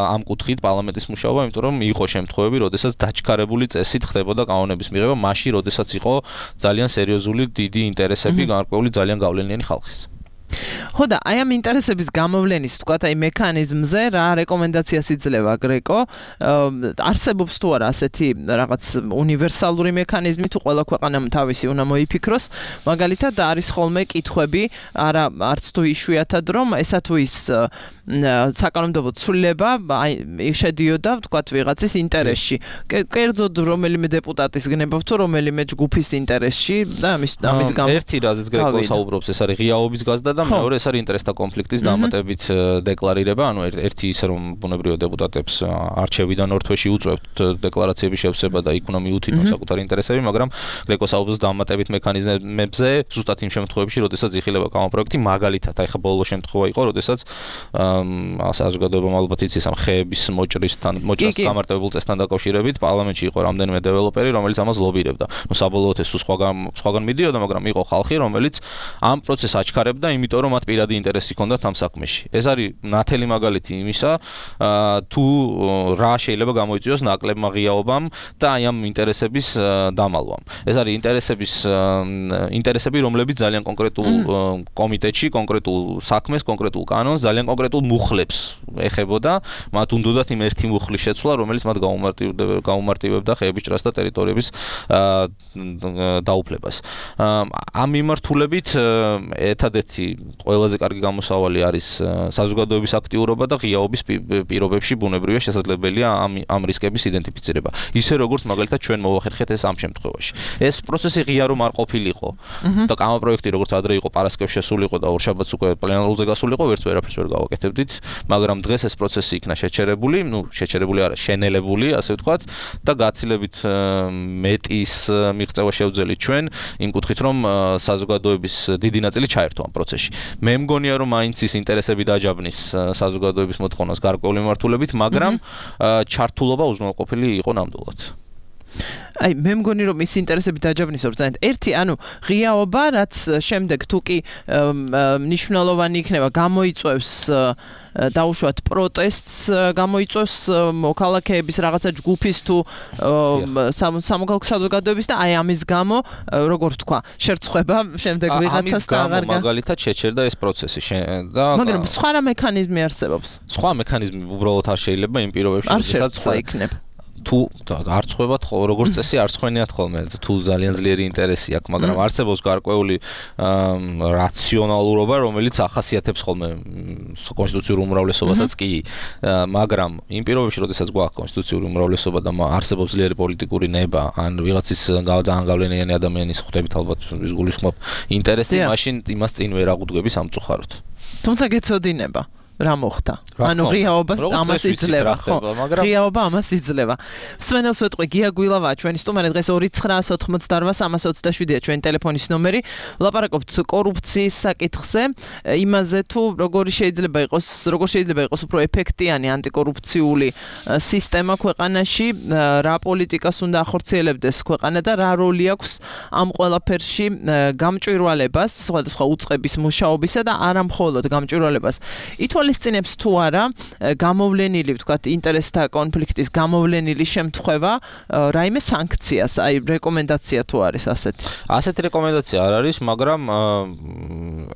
ამ კუთხით პარლამენტის მუშაობა, იმიტომ რომ იყო შემთხვევები, როდესაც დაჩქარებული წესით ხდებოდა კანონების მიღება, მაშინ, როდესაც იყო ძალიან სერიოზული დიდი ინტერესები გარკვეული ძალიან გავლენიანი ხალხის. ხო და აი ამ ინტერესების გამოვლენის თქვა აი მექანიზმზე რა რეკომენდაციას იძლევა გრეკო არსებობს თუ არა ასეთი რაღაც უნივერსალური მექანიზმი თუ ყველა ქვეყანამ თავისი უნდა მოიფიქროს მაგალითად არის ხოლმე კითხვები არა არც თუ იშვიათად რომ ესა თუ ის საკანონმდებლო ცვლილება აი შედიოდა თქვა ვიღაცის ინტერესში კერძოდ რომელიმე დეპუტატის გნებავ თუ რომელიმე ჯგუფის ინტერესში და ამის ამის გამო ერთი რაზეც გრეკო საუბრობს ეს არის ღიაობის გაზრდა და მეორე ეს არის ინტერესთა კონფლიქტის დამატებით დეკლარირება ანუ ერთი ის რომ ბუნებრივად დეპუტატებს არჩევიდან ორ თვეში უწევთ დეკლარაციების შევსება და იქ უნდა მიუთითონ საკუთარი ინტერესები მაგრამ გრეკო საუბრობს დამატებით მექანიზმებზე ზუსტად იმ შემთხვევებში როდესაც იხილება კანონპროექტი მაგალითად აი ხა ბოლო შემთხვევა იყო როდესაც საზოგადოებამ ალბათ იცის ამ ხეების მოჭრისთან მოჭრას გამარტებულ წესთან დაკავშირებით პარლამენტში იყო რამდენიმე დეველოპერი რომელიც ამას ლობირებდა ნუ საბოლოოდ ეს სხვაგან სხვაგან მიდიოდა მაგრამ იყო ხალხი რომელიც ამ პროცესს აჩქარებდა იმიტომ რომ მათ პირადი ინტერესი ჰქონდათ ამ საქმეში ეს არის ნათელი მაგალითი იმისა თუ რა შეიძლება გამოიწვიოს ნაკლებმა ღიაობამ და აი ამ ინტერესების დამალვამ ეს არის ინტერესების ინტერესები რომლებიც ძალიან კონკრეტულ კომიტეტში კონკრეტულ საქმეს კონკრეტულ კანონს ძალიან კონკრეტულ მუხლებს ეხებოდა მათ უნდათ იმ ერთი მუხლის შეცვლა რომელიც მათ გაუმარტივებდა გაუმარტივებდა ხეების ჭრას და ტერიტორიების დაუფლებას ამ მიმართულებით ერთადერთი ყველაზე კარგი გამოსავალი არის საზოგადოების აქტიურობა და ღიაობის პირობებში ბუნებრივია შესაძლებელია ამ ამ რისკების იდენტიფიცირება. ისე როგორც მაგალითად ჩვენ მოვახერხეთ ეს ამ შემთხვევაში. ეს პროცესი ღია რომ არ ყოფილიყო და კანონპროექტი როგორც ადრე იყო პარასკევს შესულიყო და ორშაბათს უკვე პლენარულზე გასულიყო, ვერც ვერაფერს ვერ გავაკეთებდით, მაგრამ დღეს ეს პროცესი იქნა შეჩერებული, ну, შეჩერებული არა, შენელებული, ასე ვთქვათ, და გაცილებით მეტის მიღწევა შევძელით ჩვენ იმ კუთხით რომ საზოგადოების დიდი ნაწილი ჩაერთო ამ პროცესში. მე მგონია რომ მაინც ის ინტერესები დაჯაბნის საზოგადოების მოთხოვნას გარკვეული მიმართულებით, მაგრამ ჩართულობა უზრუნველყოფილი იყო ნამდვილად. აი მე მგონი რომ ის ინტერესები დაჯაბნის ორ-ძალიან ერთი ანუ ღიაობა რაც შემდეგ თუ კი მნიშვნელოვანი იქნება გამოიწვევს დაუშვათ პროტესტს გამოიწვევს მოქალაქეების რაღაცა ჯგუფის თუ სამოქალაქო საზოგადოების და აი ამის გამო როგორ თქვა შერწყება შემდეგ ვიღაცას და აღარ მაგალითად შეჩერდა ეს პროცესი და მაგრამ სხვა რა მექანიზმი არსებობს სხვა მექანიზმი უბრალოდ არ შეიძლება იმ პირობებში როდესაც იქნება თუ არ ცხებათ როგორც წესი არ ცხენიათ ხოლმე თუ ძალიან ძლიერი ინტერესი აქვს მაგრამ არსებობს გარკვეული რაციონალურობა რომელიც ახასიათებს ხოლმე კონსტიტუციურ უმრავლესობასაც კი მაგრამ იმ პირობებში როდესაც გვაქვს კონსტიტუციური უმრავლესობა და არსებობს ძლიერი პოლიტიკური ნება ან ვიღაცის ძალიან გავლენიანი ადამიანის ხვდებით ალბათ ის გულისხმობ ინტერესი მაშინ იმას წინ ვერ აღუდგები სამწუხაროდ თუმცა გეცოდინება რა მოხდა? ანუ ღიაობა ამას იძლევა, ხო? ღიაობა ამას იძლევა. სვენელს ვეტყვი გია გვილავაა ჩვენი სტუმარი დღეს ორი ცხრაას ოთხმოცდარვა სამას ოცდაშვიდია ჩვენი ტელეფონის ნომერი. ვლაპარაკობთ კორუფციის საკითხზე, იმაზე თუ როგორი შეიძლება იყოს, როგორ შეიძლება იყოს უფრო ეფექტიანი ანტიკორუფციული სისტემა ქვეყანაში, რა პოლიტიკას უნდა ახორციელებდეს ქვეყანა და რა როლი აქვს ამ ყველაფერში გამჭვირვალებას, სხვადასხვა უწყების მუშაობისა და არა მხოლოდ გამჭვირვალებას. ითვალისწინებს თუ არა გამოვლენილი, ვთქვათ, ინტერესთა კონფლიქტის გამოვლენილი შემთხვევა, რაიმე სანქციას, აი რეკომენდაცია თუ არის ასეთი. ასეთი რეკომენდაცია არ არის, მაგრამ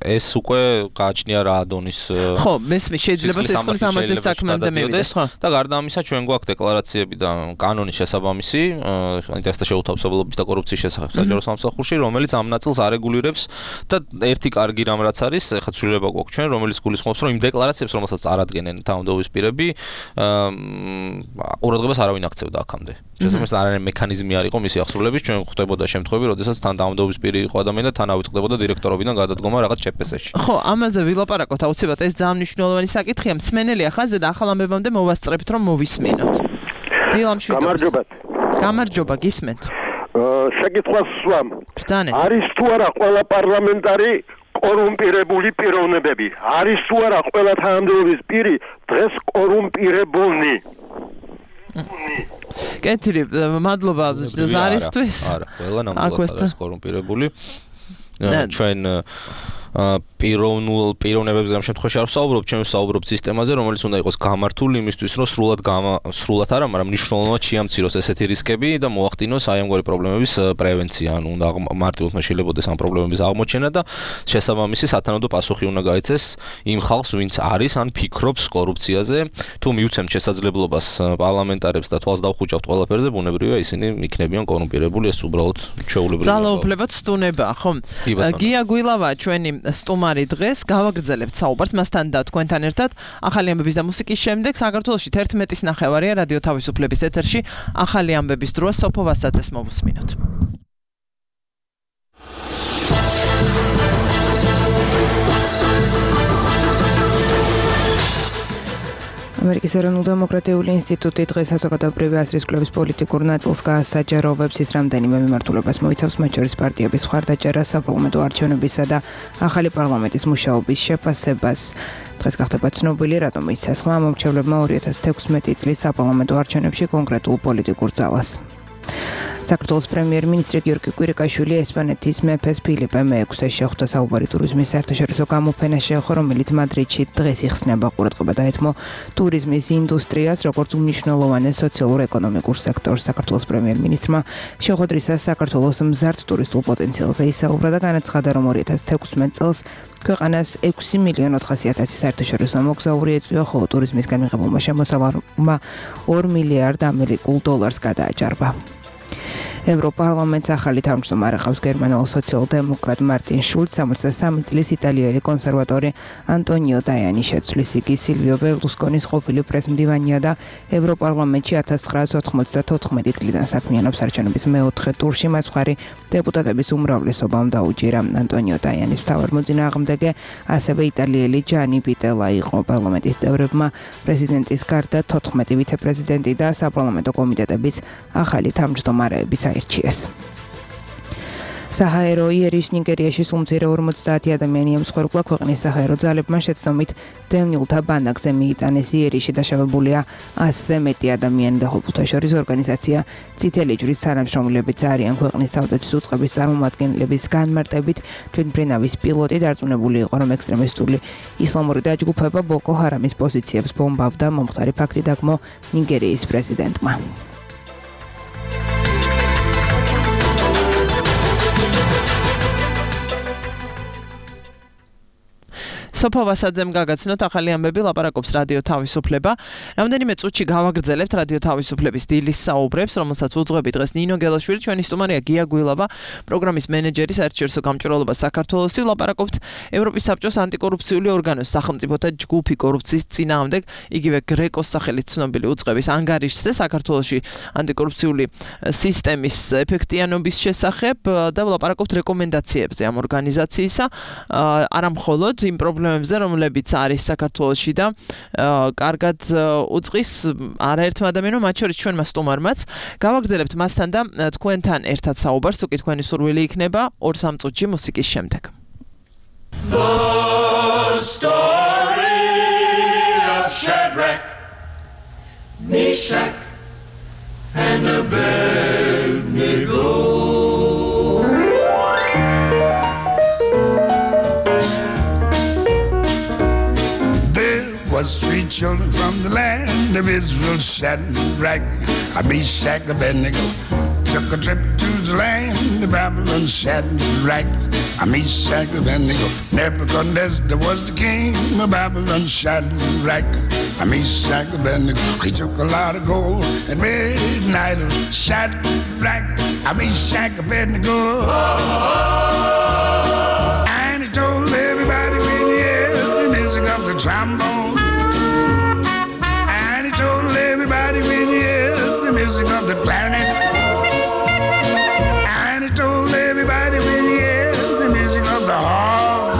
ეს უკვე გააჩნია რა დონის ხო, მესმე შეიძლება სისხლის სამართლის საქმემდე მივიდეს, ხო? და გარდა ამისა ჩვენ გვაქვს დეკლარაციები და კანონის შესაბამისი ინტერესთა შეუთავსებლობის და კორუფციის შესახებ საჯარო სამსახურში, რომელიც ამ ნაწილს არეგულირებს და ერთი კარგი რამ რაც არის, ეხლა ცვლილება გვაქვს ჩვენ, რომელიც გულისხმობს, რომ იმ დეკლარაციებს, რომელსაც წარადგენენ თანამდებობის პირები, ყურადღებას არავინ აქცევდა აქამდე. შესაბამისად, არანაირი მექანიზმი არ იყო მისი აღსრულების, ჩვენ ხვდებოდა შემთხვევები, როდესაც თან თანამდებობის პირი იყო ადამიანი და თან ავიწყდებოდა დირექტორობიდან გადადგომა რაღაც ჩპს-ში. ხო, ამაზე ვილაპარაკოთ აუცილებლად, ეს ძალიან მნიშვნელოვანი საკითხია. მსმენელია ხაზზე და ახალ ამბებამდე მოვასწრებთ, რომ მოვისმინოთ. დილამშვიდობა. გამარჯობა. გამარჯობა, გისმენთ. საკითხს ვსვამ. ბრძანეთ. არის თუ არა ყველა პარლამენტარი კორუმპირებული პიროვნებები? არის თუ არა ყველა თანამდებობის პირი დღეს კორუმპირებულნი? კეთილი, მადლობა ზარისთვის. არა, ყველა ნამდვილად არის კორუმპირებული. ჩვენ პიროვნულ პიროვნებებზე ამ შემთხვევაში არ ვსაუბრობ, ჩვენ ვსაუბრობ სისტემაზე, რომელიც უნდა იყოს გამართული იმისთვის, რომ სრულად სრულად არა, მაგრამ მნიშვნელოვნად შეამციროს ესეთი რისკები და მოახდინოს აი ამგვარი პრობლემების პრევენცია, ანუ უნდა მარტივად შეიძლება ამ პრობლემების აღმოჩენა და შესაბამისი სათანადო პასუხი უნდა გაიცეს იმ ხალხს, ვინც არის ან ფიქრობს კორუფციაზე, თუ მიუცემთ შესაძლებლობას პარლამენტარებს და თვალს დავხუჭავთ ყველაფერზე, ბუნებრივია ისინი იქნებიან კორუმპირებული, ეს უბრალოდ ჩვეულებრივია. ძალაუფლებად სტუნებაა, ხო? გია გვილავა ჩვენი სტუმარი დღეს, გავაგრძელებთ საუბარს მასთან და თქვენთან ერთად. ახალი ამბების და მუსიკის შემდეგ საქართველოში თერთმეტის ნახევარია რადიო თავისუფლების ეთერში. ახალი ამბების დროა სოფო ვასაძეს მოვუსმინოთ. ამერიკის ეროვნულ დემოკრატიული ინსტიტუტი დღეს საზოგადოებრივი აზრის კვლევის პოლიტიკურ ნაწილს გაასაჯაროვებს, ის რამდენიმე მიმართულებას მოიცავს, მათ შორის პარტიების მხარდაჭერას, საპარლამენტო არჩევნებისა და ახალი პარლამენტის მუშაობის შეფასებას. დღეს გახდება ცნობილი, რატომ მისცა ხმა მომრჩევლებმა ორი ათას თექვსმეტი წლის საპარლამენტო არჩევნებში კონკრეტულ პოლიტიკურ ძალას. საქართველოს პრემიერ-მინისტრი გიორგი კვირიკაშვილი ესპანეთის მეფეს ფილიპე მეექვსეს შეხვდა საუბარი ტურიზმის საერთაშორისო გამოფენას შეეხო, რომელიც მადრიდში დღეს იხსნება. ყურადღება დაეთმო ტურიზმის ინდუსტრიას, როგორც უმნიშვნელოვანეს სოციალურ-ეკონომიკურ სექტორს. საქართველოს პრემიერ-მინისტრმა შეხვედრისას საქართველოს მზარდ ტურისტულ პოტენციალზე ისაუბრა და განაცხადა, რომ ორი ათას თექვსმეტ წელს ქვეყანას ექვსი მილიონი ოთხასი ათასი საერთაშორისო მოგზაური ეწვია, ხოლო ტურიზმისგან მიღებულმა შემოსავალმა ორ მილიარდ ამერიკულ დოლარს გადააჭარბა. ევროპარლამენტს ახალი თავმჯდომარე ყავს გერმანელ სოციალ-დემოკრატ მარტინ შულცს, სამოცდასამი წლის იტალიელი კონსერვატორი ანტონიო ტაიანი შეცვლის. იგი სილვიო ბერლუსკონის ყოფილი პრესმდივანია და ევროპარლამენტში ათას ცხრაას ოთხმოცდათოთხმეტი წლიდან საქმიანობს. არჩევნების მეოთხე ტურში მას მხარი დეპუტატების უმრავლესობამ დაუჭირა. ანტონიო ტაიანის მთავარ მოწინააღმდეგე ასევე იტალიელი ჯანი პიტელა იყო. პარლამენტის წევრებმა პრეზიდენტის გარდა თოთხმეტი ვიცე-პრეზიდენტი და საპარლამენტო კომიტეტების ახალი თავმჯდომარეებიც აირჩიეს. საჰაერო იერიშ ნიგერიაში სულ მცირე ორმოცდაათი ადამიანი ემსხვერპლა. ქვეყნის საჰაერო ძალებმა შეცდომით დევნილთა ბანაკზე მიიტანეს. იერიში დაშავებულია ასზე მეტი ადამიანი და ხუთთა შორის ორგანიზაცია წითელი ჯვრის თანამშრომლებიც არიან. ქვეყნის თავდაცვის უწყების წარმომადგენლების განმარტებით თვითმფრინავის პილოტი დარწმუნებული იყო, რომ ექსტრემისტული ისლამური დაჯგუფება ბოკო ჰარამის პოზიციებს ბომბავდა. მომხდარი ფაქტი დაგმო ნიგერიის პრეზიდენტმა. სოფო ვასაძემ გაგაცნოთ ახალი ამბები, ლაპარაკობს რადიო თავისუფლება. რამდენიმე წუთში გავაგრძელებთ რადიო თავისუფლების დილის საუბრებს, რომელსაც უძღვები დღეს ნინო გელაშვილი, ჩვენი სტუმარია გია გვილავა, პროგრამის მენეჯერი საერთაშორისო გამჭვირვალობა საქართველოსი. ლაპარაკობთ ევროპის საბჭოს ანტიკორუფციული ორგანოს სახელმწიფოთა ჯგუფი კორუფციის წინააღმდეგ, იგივე გრეკოს სახელით ცნობილი უწყების ანგარიშზე საქართველოში ანტიკორუფციული სისტემის ეფექტიანობის შესახებ და ლაპარაკობთ რეკომენდაციებზე ამ ორგანიზაციისა, არა მხოლოდ იმ პრობლემებზე, რომლებიც არის საქართველოში და კარგად უწყის არაერთმა ადამიანმა, მათ შორის ჩვენმა სტუმარმაც. გავაგრძელებთ მასთან და თქვენთან ერთად საუბარს, თუ კი თქვენი სურვილი იქნება, ორ სამ წუთში მუსიკის შემდეგ. The story of Shadrach, Meshach, and Abednego. Was three children from the land of Israel, Shadrach, Meshach, Abednego, took a trip to the land of Babylon. Shadrach, Meshach, Abednego, Nebuchadnezzar was the king of Babylon. Shadrach, Meshach, Abednego, he took a lot of gold and made an idol. Shadrach, Meshach, Abednego, and he told everybody when he heard the music of the trombone. When you hear the music of the clarinet, and he told everybody when you hear the music of the harp,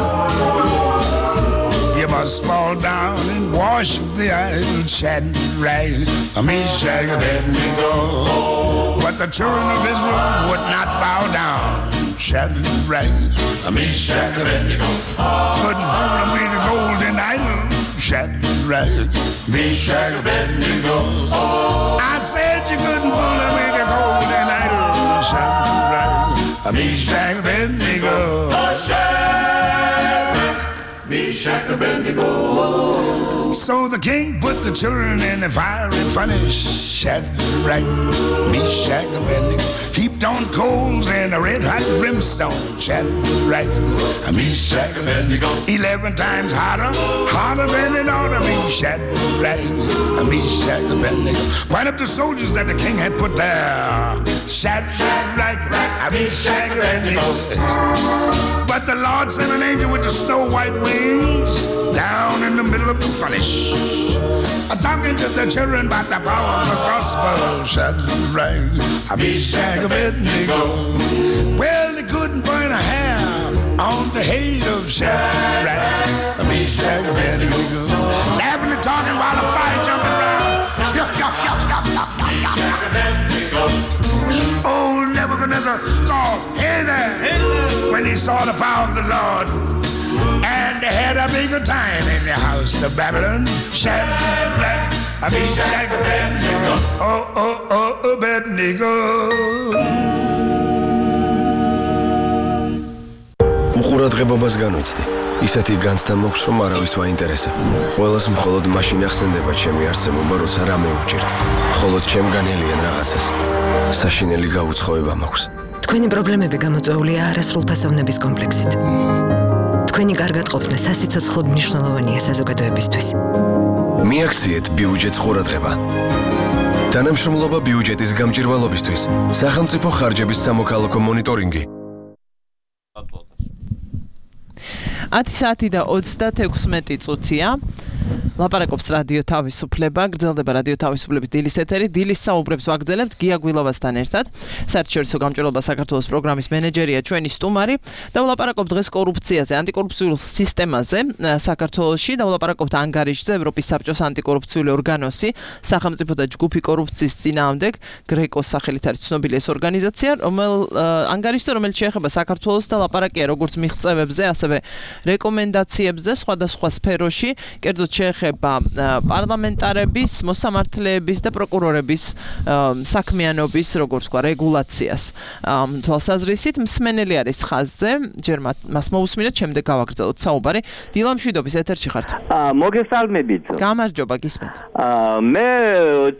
you must fall down and worship the idol. Shadrach, Meshach, Abednego, but the children of Israel would not bow down. Shadrach, Meshach, Abednego, couldn't fool them with the golden idol. Shadrach, Meshach, Abednego, I said you couldn't fool them with the golden idol. Shadrach, Meshach, Abednego, oh, Shadrach. Shack Abednego. So the king put the children in the fiery furnace. Shadrach, Meshach, Abednego. Heaped on coals and a red hot brimstone. Shadrach, Meshach, Abednego. Eleven times hotter, hotter than it ought to be. Shadrach, Meshach, Abednego. Right up the soldiers that the king had put there. Shadrach, Meshach, Abednego. But the Lord sent an angel with the snow white wings down in the middle of the furnace, talking to the children about the power of the gospel. Shadrach, Meshach, Abednego. Well, they couldn't burn a hair on the head of Shadrach, Meshach, Abednego. Laughing and talking while the fire jumping around. Old Nebuchadnezzar called, hey there, hey there, when he saw the power of the Lord. And they had a bigger time in the house of Babylon. Shadrach, Meshach, Abednego. Oh, oh, oh, Abednego. უყურადღებობას განვიცდი. ისეთი განცდა მოხს, რომ არავის ვაინტერესებ. ყველას მხოლოდ მაშინ ახსენდება ჩემი არსებობა, როცა რამე უჭირთ. მხოლოდ ჩემგანელიან რაღაცას. საშინელი გაუცხოება მაქვს. თქვენი პრობლემები გამოწვეულია არასრულფასოვნების კომპლექსით. თქვენი კარგად ყოფნა სასიცოცხლოდ მნიშვნელოვანია საზოგადოებისთვის. მიაქციეთ ბიუჯეტს ყურადღება. თანამშრომლობა ბიუჯეტის გამჭირვალობისთვის. სახელმწიფო ხარჯების სამოქალაქო მონიტორინგი. ათი საათი და ოცდაექვსმეტი წუთია. ლაპარაკობს რადიო თავისუფლება, გრძელდება რადიო თავისუფლების დილის ეთერი. დილის საუბრებს ვაგრძელებთ გია გვილოვასთან ერთად. საერთაშორისო გამჭირვალობა საქართველოს პროგრამის მენეჯერია ჩვენი სტუმარი და ვლაპარაკობთ დღეს კორუფციაზე, ანტიკორუფციულ სისტემაზე საქართველოში და ვლაპარაკობთ ანგარიშზე, ევროპის საბჭოს ანტიკორუფციული ორგანოსი, სახელმწიფო და ჯგუფი კორუფციის წინააღმდეგ, გრეკოს სახელით არის ცნობილი ეს ორგანიზაცია, რომელ ანგარიშზე, რომელიც შეეხება საქართველოს და ლაპარაკია როგორც მიღწევებზე, ასევე რეკომენდაციებზე სხვადასხვა სფეროში, კერძოდ შეეხება პარლამენტარების, მოსამართლეების და პროკურორების საქმიანობის, როგორც ვთქვა, რეგულაციას. თვალსაზრისით მსმენელი არის ხაზზე, ჯერ მას მოусმინეთ, შემდეგ გავაგრძელოთ საუბარი. დილა მშვიდობის ეთერში ხართ. მოგესალმებით. გამარჯობა, გისმენთ. მე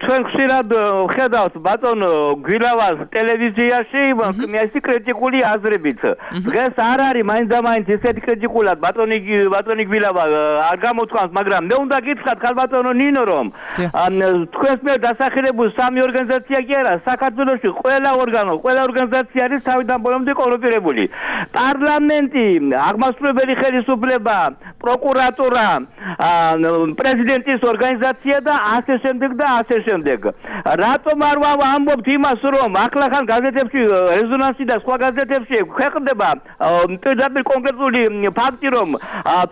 ჩვენ ხშირად ხედავთ ბატონო გვილავას ტელევიზიაში, მისი კრიტიკული აზრებით. დღეს არ არის მაინც და მაინც ესეთი კრიტიკულად ბატონი ბატონი გვილავა არ გამოთქვამს, მაგრამ მე უნდა გითხრათ ხალბატონო ნინო რომ თქვენს მიერ დასახელებული სამი ორგანიზაცია კი არა, საქართველოში ყველა ორგანო, ყველა ორგანიზაცია არის თავიდან ბოლომდე კორუმპირებული. პარლამენტი, აღმასრულებელი ხელისუფლება, პროკურატურა, პრეზიდენტის ორგანიზაცია და ასე შემდეგ და ასე შემდეგ. რატომ არ ვამბობთ იმას, რომ ახლახან გაზეთებში, რეზონანსი და სხვა გაზეთებში ქვეყნდება პირდაპირ კონკრეტული ფაქტი, რომ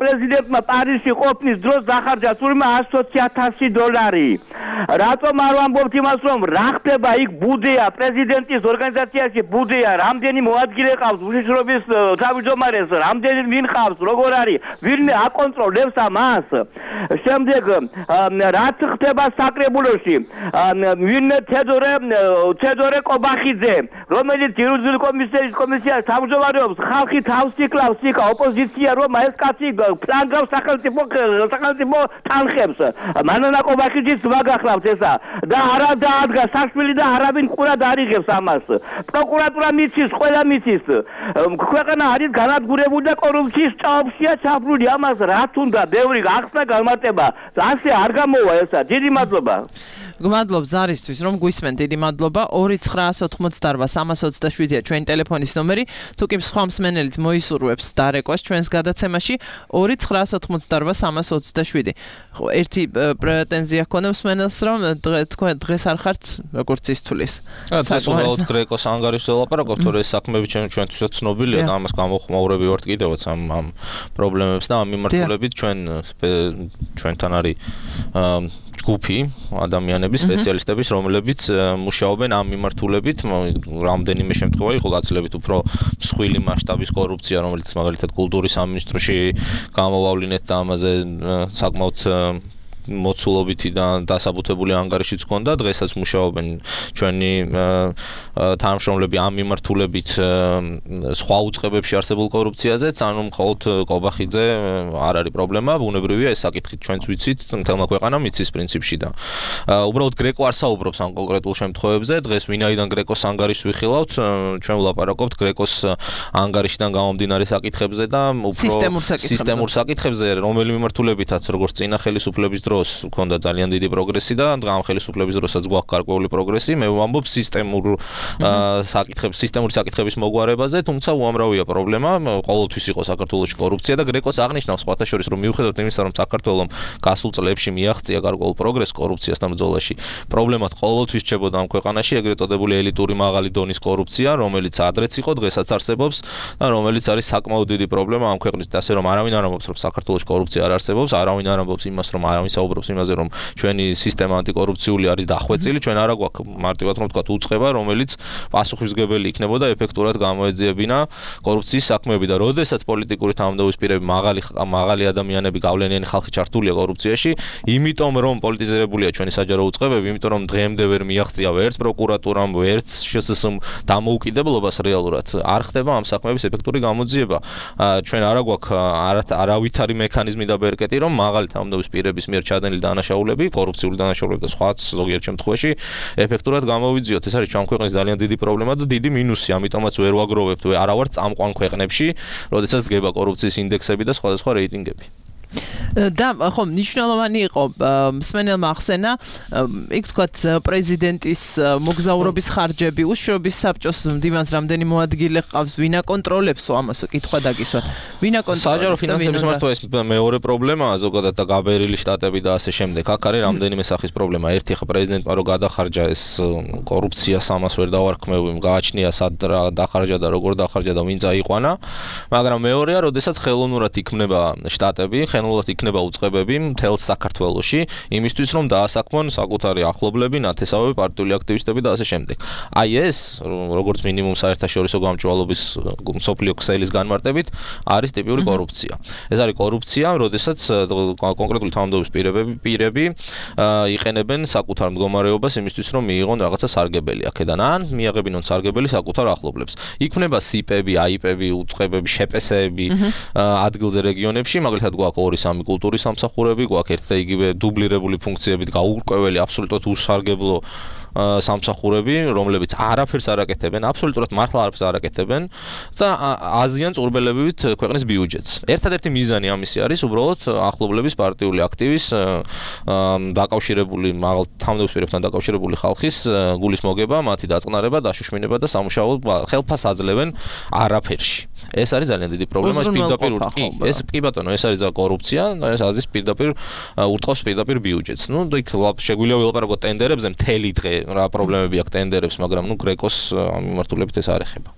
პრეზიდენტმა პარიზში ყოფნის დროს დახარჯა თურმე ათი ათასი დოლარი. რატომ არ ვამბობთ იმას, რომ რა ხდება იქ ბუდეა, პრეზიდენტის ორგანიზაციაში ბუდეა, რამდენი მოადგილე ყავს, უშიშრობის თავმჯდომარეს, რამდენი ვინ ყავს, როგორ არის, ვინ აკონტროლებს ამას. შემდეგ რაც ხდება საკრებულოში, ვინ თედორე თედორე კობახიძე, რომელიც იურიდიული კომისიის კომისიას თავმჯდომარეობს, ხალხი თავს იკლავს იქ ოპოზიცია, რომ ეს კაცი ფლანგავს სახელმწიფო სახელმწიფო თანხებს. მანანა კობახიძის ვაგახლავთ ესა და არა დაადგა საქმელი და არავინ ყურად არ იღებს ამას. პროკურატურა მიცის, ყველა მიცის. ქვეყანა არის განადგურებული და კორუფციის ჭაობშია ჩაფლული. ამას რა თუნდა ბევრი ახსნა გამარტება. ასე არ გამოვა ესა. დიდი მადლობა. გმადლობ ზარისთვის, რომ გვისმენთ, დიდი მადლობა. ორი ცხრაასი ოცდაოთხი სამას ოცდაშვიდია ჩვენი ტელეფონის ნომერი. თუ კი სხვა მსმენელიც მოისურვებს დარეკვას ჩვენს გადაცემაში ორი ცხრაასი ოცდაოთხი სამას ოცდაშვიდი. ერთი პრეტენზია ქონდა მსმენელს, რომ თქვენ დღეს არ ხართ როგორც ის თulis. დღეს უბრალოდ გრეკოს ანგარიშზე ვლაპარაკობთ, თორე ეს საქმეები ჩვენთვისაც ცნობილია და ამას გამოხმაურები ვართ კიდევაც ამ ამ პრობლემებს და ამ მიმართულებით ჩვენ ჩვენთან არის ჯგუფი ადამიანები, სპეციალისტების, რომლებიც მუშაობენ ამ მიმართულებით. რამდენიმე შემთხვევა იყო გაცილებით უფრო მსხვილი მასშტაბის კორუფცია, რომელიც მაგალითად კულტურის სამინისტროში გამოვავლინეთ და ამაზე საკმაოდ მოცულობითი და დასაბუთებული ანგარიშიც ჰქონდა, დღესაც მუშაობენ ჩვენი თანამშრომლები ამ მიმართულებით სხვა უწყებებში არსებულ კორუფციაზეც, ანუ მხოლოდ კობახიძე არ არის პრობლემა, ბუნებრივია ეს საკითხი ჩვენც ვიცით, მთელმა ქვეყანამ იცის პრინციპში და უბრალოდ გრეკო არ საუბრობს ამ კონკრეტულ შემთხვევებზე, დღეს ვინაიდან გრეკოს ანგარიშს ვიხილავთ, ჩვენ ვლაპარაკობთ გრეკოს ანგარიშიდან გამომდინარე საკითხებზე და უფრო სისტემურ საკითხებზე, რომელი მიმართულებითაც როგორც წინა ხელისუფლების დროს ჰქონდა ძალიან დიდი პროგრესი და ამ ხელისუფლების დროსაც გვაქვს გარკვეული პროგრესი, მე ვამბობ სისტემურ საკითხებს, სისტემური საკითხების მოგვარებაზე, თუმცა უამრავია პრობლემა, ყოველთვის იყო საქართველოში კორუფცია და გრეკოს აღნიშნავს სხვათა შორის, რომ მიუხედავად იმისა, რომ საქართველოს გასულ წლებში მიაღწია გარკვეულ პროგრესს კორუფციასთან ბრძოლაში, პრობლემად ყოველთვის რჩებოდა ამ ქვეყანაში ეგრეთ წოდებული ელიტური მაღალი დონის კორუფცია, რომელიც ადრეც იყო, დღესაც არსებობს და რომელიც არის საკმაოდ დიდი პრობლემა ამ ქვეყნის და ასე რომ არავინ არ ამბობს, რომ საქართველოში კორუფცია არ არსებობს, არავინ არ ამბობს იმას, რომ არავინ საუბრობს იმაზე, რომ ჩვენი სისტემა ანტიკორუფციული არის დახვეწილი, ჩვენ არა გვაქვს მარტივად რომ ვთქვათ უწყება, რომელიც პასუხისმგებელი იქნებოდა ეფექტურად გამოეძიებინა კორუფციის საქმეები და როდესაც პოლიტიკური თანამდებობის პირები მაღალი მაღალი ადამიანები გავლენიანი ხალხი ჩართულია კორუფციაში, იმიტომ რომ პოლიტიზირებულია ჩვენი საჯარო უწყებები, იმიტომ რომ დღემდე ვერ მიაღწია ვერც პროკურატურამ, ვერც შსს-მ დამოუკიდებლობას რეალურად არ ხდება ამ საქმეების ეფექტური გამოძიება. ჩვენ არა გვაქვს არავითარი მექანიზმი და ბერკეტი, რომ მაღალი თანამდებობის პირების მიერ ჩადენილი დანაშაულები, კორუფციული დანაშაულები და სხვაც ზოგიერთ შემთხვევაში ეფექტურად გამოვიძიოთ. ეს არის ჩვენ ქვეყნის ძალიან დიდი პრობლემა და დიდი მინუსი, ამიტომაც ვერ ვაგროვებთ, არა ვარ წამყვან ქვეყნებში, როდესაც დგება კორუფციის ინდექსები და სხვადასხვა რეიტინგები. და ხო მნიშვნელოვანი იყო მსმენელმა ახსენა იქ თქვათ პრეზიდენტის მოგზაურობის ხარჯები უშუალობის საბჭოს მდივანს რამდენი მოადგილე ყავს ვინ აკონტროლებს ამას კითხვა დაგისვათ ვინ აკონტროლებს საჯარო ფინანსების მართვა ეს მეორე პრობლემაა ზოგადად და გაბერილი შტატები და ასე შემდეგ აქ არის რამდენიმე სახის პრობლემა ერთი ხა პრეზიდენტმა რო გადახარჯა ეს კორუფციას ამას ვერ დავარქმევი გააჩნია სად დახარჯა და როგორ დახარჯა და ვინ წაიყვანა მაგრამ მეორეა როდესაც ხელოვნურად იქმნება შტატები ხელოვნურად იქნება უწყებები მთელს საქართველოში იმისთვის რომ დაასაქმონ საკუთარი ახლობლები, ნათესავები, პარტიული აქტივისტები და ასე შემდეგ. აი ეს როგორც მინიმუმ საერთაშორისო გამჭვალობის მსოფლიო ქსელის განმარტებით არის ტიპური კორუფცია. ეს არის კორუფცია, როდესაც კონკრეტული თანამდებობის პირები პირები იყენებენ საკუთარ მდგომარეობას იმისთვის რომ მიიღონ რაღაცა სარგებელი აქედან ან მიაღებინონ სარგებელი საკუთარ ახლობლებს. იქმნება სიპები, აიპები, უწყებები, შეპესეები ადგილზე რეგიონებში, მაგალითად გვაქვს ორი სამი კულტურის სამსახურები, გვაქვს ერთ და იგივე დუბლირებული ფუნქციებით გაურკვეველი აბსოლუტურად უსარგებლო სამსახურები, რომლებიც არაფერს არ აკეთებენ, აბსოლუტურად მართლა არაფერს არ აკეთებენ და აზიან წურბელებივით ქვეყნის ბიუჯეტს. ერთადერთი მიზანი ამისი არის უბრალოდ ახლობლების პარტიული აქტივის დაკავშირებული მაღალ თანამდებობის პირებთან დაკავშირებული ხალხის გულის მოგება, მათი დაწყნარება, დაშოშმინება და სამუშაო ხელფას აძლევენ არაფერში. ეს არის ძალიან დიდი პრობლემა, ეს პირდაპირ ეს კი ბატონო, ეს არის კორუფცია, ეს აზის პირდაპირ ურტყავს პირდაპირ ბიუჯეტს. ნუ იქ შეგვიძლია ვილაპარაკოთ ტენდერებზე მთელი დღე რა პრობლემები აქვს ტენდერებს, მაგრამ ნუ გრეკოს ამ მიმართულებით ეს არ ეხება.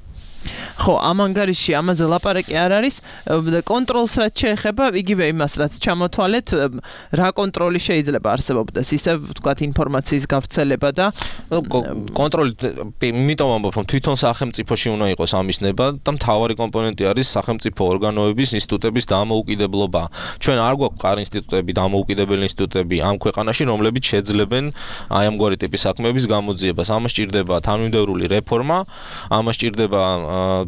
ხო, ამ ანგარიში ამაზე ლაპარაკი არ არის. კონტროლს რაც შეეხება, იგივე იმას რაც ჩამოთვალეთ, რა კონტროლი შეიძლება არსებობდეს, ისე ვთქვათ ინფორმაციის გავრცელება და კონტროლი, იმიტომ ვამბობ, რომ თვითონ სახელმწიფოში უნდა იყოს ამის ნება და მთავარი კომპონენტი არის სახელმწიფო ორგანოების, ინსტიტუტების დამოუკიდებლობა. ჩვენ არ გვაქვს ყარ ინსტიტუტები, დამოუკიდებელი ინსტიტუტები ამ ქვეყანაში, რომლებიც შეძლებენ აი ამგვარი ტიპის საქმეების გამოძიებას. ამას სჭირდება თანმიმდევრული რეფორმა, ამას სჭირდება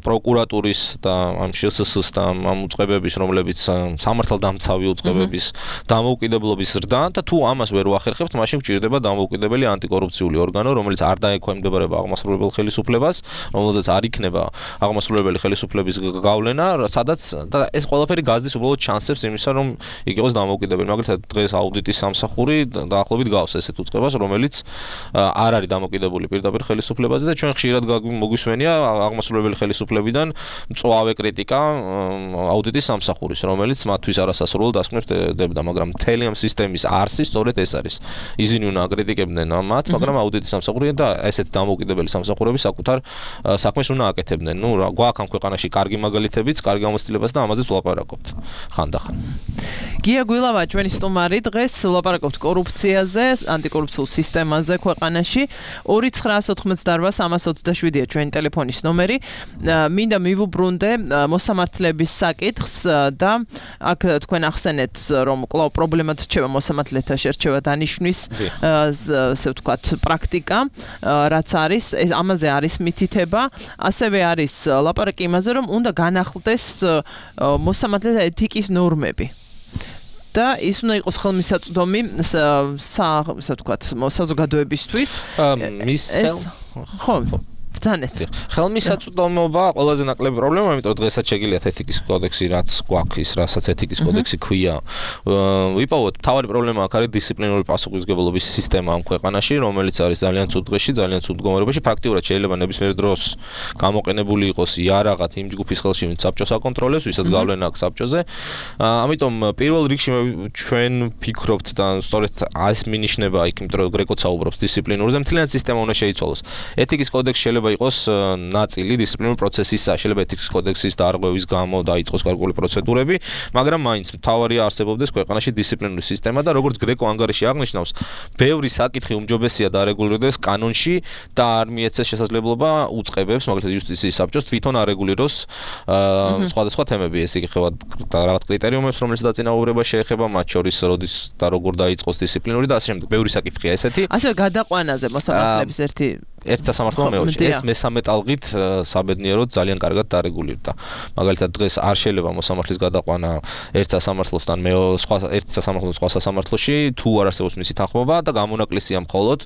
პროკურატურის და ამ შსს-ს და ამ უწყებების, რომლებიც სამართალდამცავი უწყებების დამოუკიდებლობის ზრდა და თუ ამას ვერ ვახერხებთ, მაშინ გვჭირდება დამოუკიდებელი ანტიკორუფციული ორგანო, რომელიც არ დაექვემდებარება აღმასრულებელ ხელისუფლებას, რომელზეც არ იქნება აღმასრულებელი ხელისუფლების გავლენა, სადაც და ეს ყველაფერი გაზდის უბრალოდ შანსებს იმისა, რომ იქ იყოს დამოუკიდებელი. მაგალითად, დღეს აუდიტის სამსახური დაახლოებით გავს ესეთ უწყებას, რომელიც არ არის დამოუკიდებელი პირდაპირ ხელისუფლებაზე და ჩვენ ხშირად მოგვისმენია აღმასრულებელი ხელისუფლებიდან მწვავე კრიტიკა აუდიტის სამსახურის, რომელიც მათთვის არასასრულად დასკვნებს დებდა, მაგრამ მთელი ამ სისტემის არსი სწორედ ეს არის. ისინი უნდა აკრიტიკებდნენ მათ, მაგრამ აუდიტის სამსახური და ესეთი დამოუკიდებელი სამსახურები საკუთარ საქმეს უნდა აკეთებდნენ. ნუ რა, გვაქვს ამ ქვეყანაში კარგი მაგალითებიც, კარგი გამოცდილებაც და ამაზეც ვლაპარაკობთ ხანდახან. გია გვილავა ჩვენი სტუმარი დღეს ვლაპარაკობთ კორუფციაზე, ანტიკორუფციულ სისტემაზე ქვეყანაში. ორი ცხრაას ოთხმოცდაოთხ სამას ოცდაშვიდია ჩვენი ტელეფონის ნომერი. მინდა მივუბრუნდე მოსამართლეების საკითხს და აქ თქვენ ახსენეთ რომ კვლავ პრობლემად რჩება მოსამართლეთა შერჩევა დანიშვნის ასე ვთქვათ პრაქტიკა რაც არის ამაზე არის მითითება ასევე არის ლაპარაკი იმაზე რომ უნდა განახლდეს მოსამართლეთა ეთიკის ნორმები და ის უნდა იყოს ხელმისაწვდომი ასე ვთქვათ საზოგადოებისთვის მის ხო ბრძანეთ ხელმისაწვდომობა ყველაზე ნაკლები პრობლემა იმიტომ დღესაც შეგიძლიათ ეთიკის კოდექსი რაც გვაქვს რასაც ეთიკის კოდექსი ქვია ვიპოვოთ თავი პრობლემა აქ არის დისციპლინური პასუხისმგებლობის სისტემა ამ ქვეყანაში რომელიც არის ძალიან ცუდ დღეში ძალიან ცუდ მდგომარეობაში პრაქტიკულად შეიძლება ნებისმიერ დროს გამოყენებული იყოს იარაღად იმ ჯგუფის ხელში ვინც საბჭოს აკონტროლებს ვისაც გავლენა აქვს საბჭოზე ამიტომ პირველ რიგში ჩვენ ფიქრობთ და სწორედ ეს მინიშნება იქ იმიტომ რომ გრეკო საუბრობს დისციპლინურზე მთლიანად სისტემა უნდა შეიცვალოს ეთიკის კოდექსი შეიძლება იყოს ნაწილი დისციპლინური პროცესისა, შეიძლება ეთიკის კოდექსის დარღვევის გამო დაიწყოს გარკვეული პროცედურები, მაგრამ მაინც მთავარია არსებობდეს ქვეყანაში დისციპლინური სისტემა და როგორც გრეკო ანგარიში აღნიშნავს, ბევრი საკითხი უმჯობესია დარეგულირდეს კანონში და არ მიეცეს შესაძლებლობა უწყებებს, მაგალითად იუსტიციის საბჭოს თვითონ არეგულიროს სხვადასხვა თემები, ეს იგივე რაღაც კრიტერიუმებს, რომელიც დაწინაურება შეეხება, მათ შორის როდის და როგორ დაიწყოს დისციპლინური და ასე შემდეგ. ბევრი საკითხია ესეთი. ასე გადაყვანაზე მოსამართლეების ერთი ერთ სასამართლო მეორე ეს მესამე ტალღით საბედნიეროდ ძალიან კარგად დარეგულირდა. მაგალითად დღეს არ შეიძლება მოსამართლის გადაყვანა ერთ სასამართლოსთან მეორე სხვა ერთ სასამართლოს სხვა სასამართლოში თუ არ არსებობს მისი თანხმობა და გამონაკლისია მხოლოდ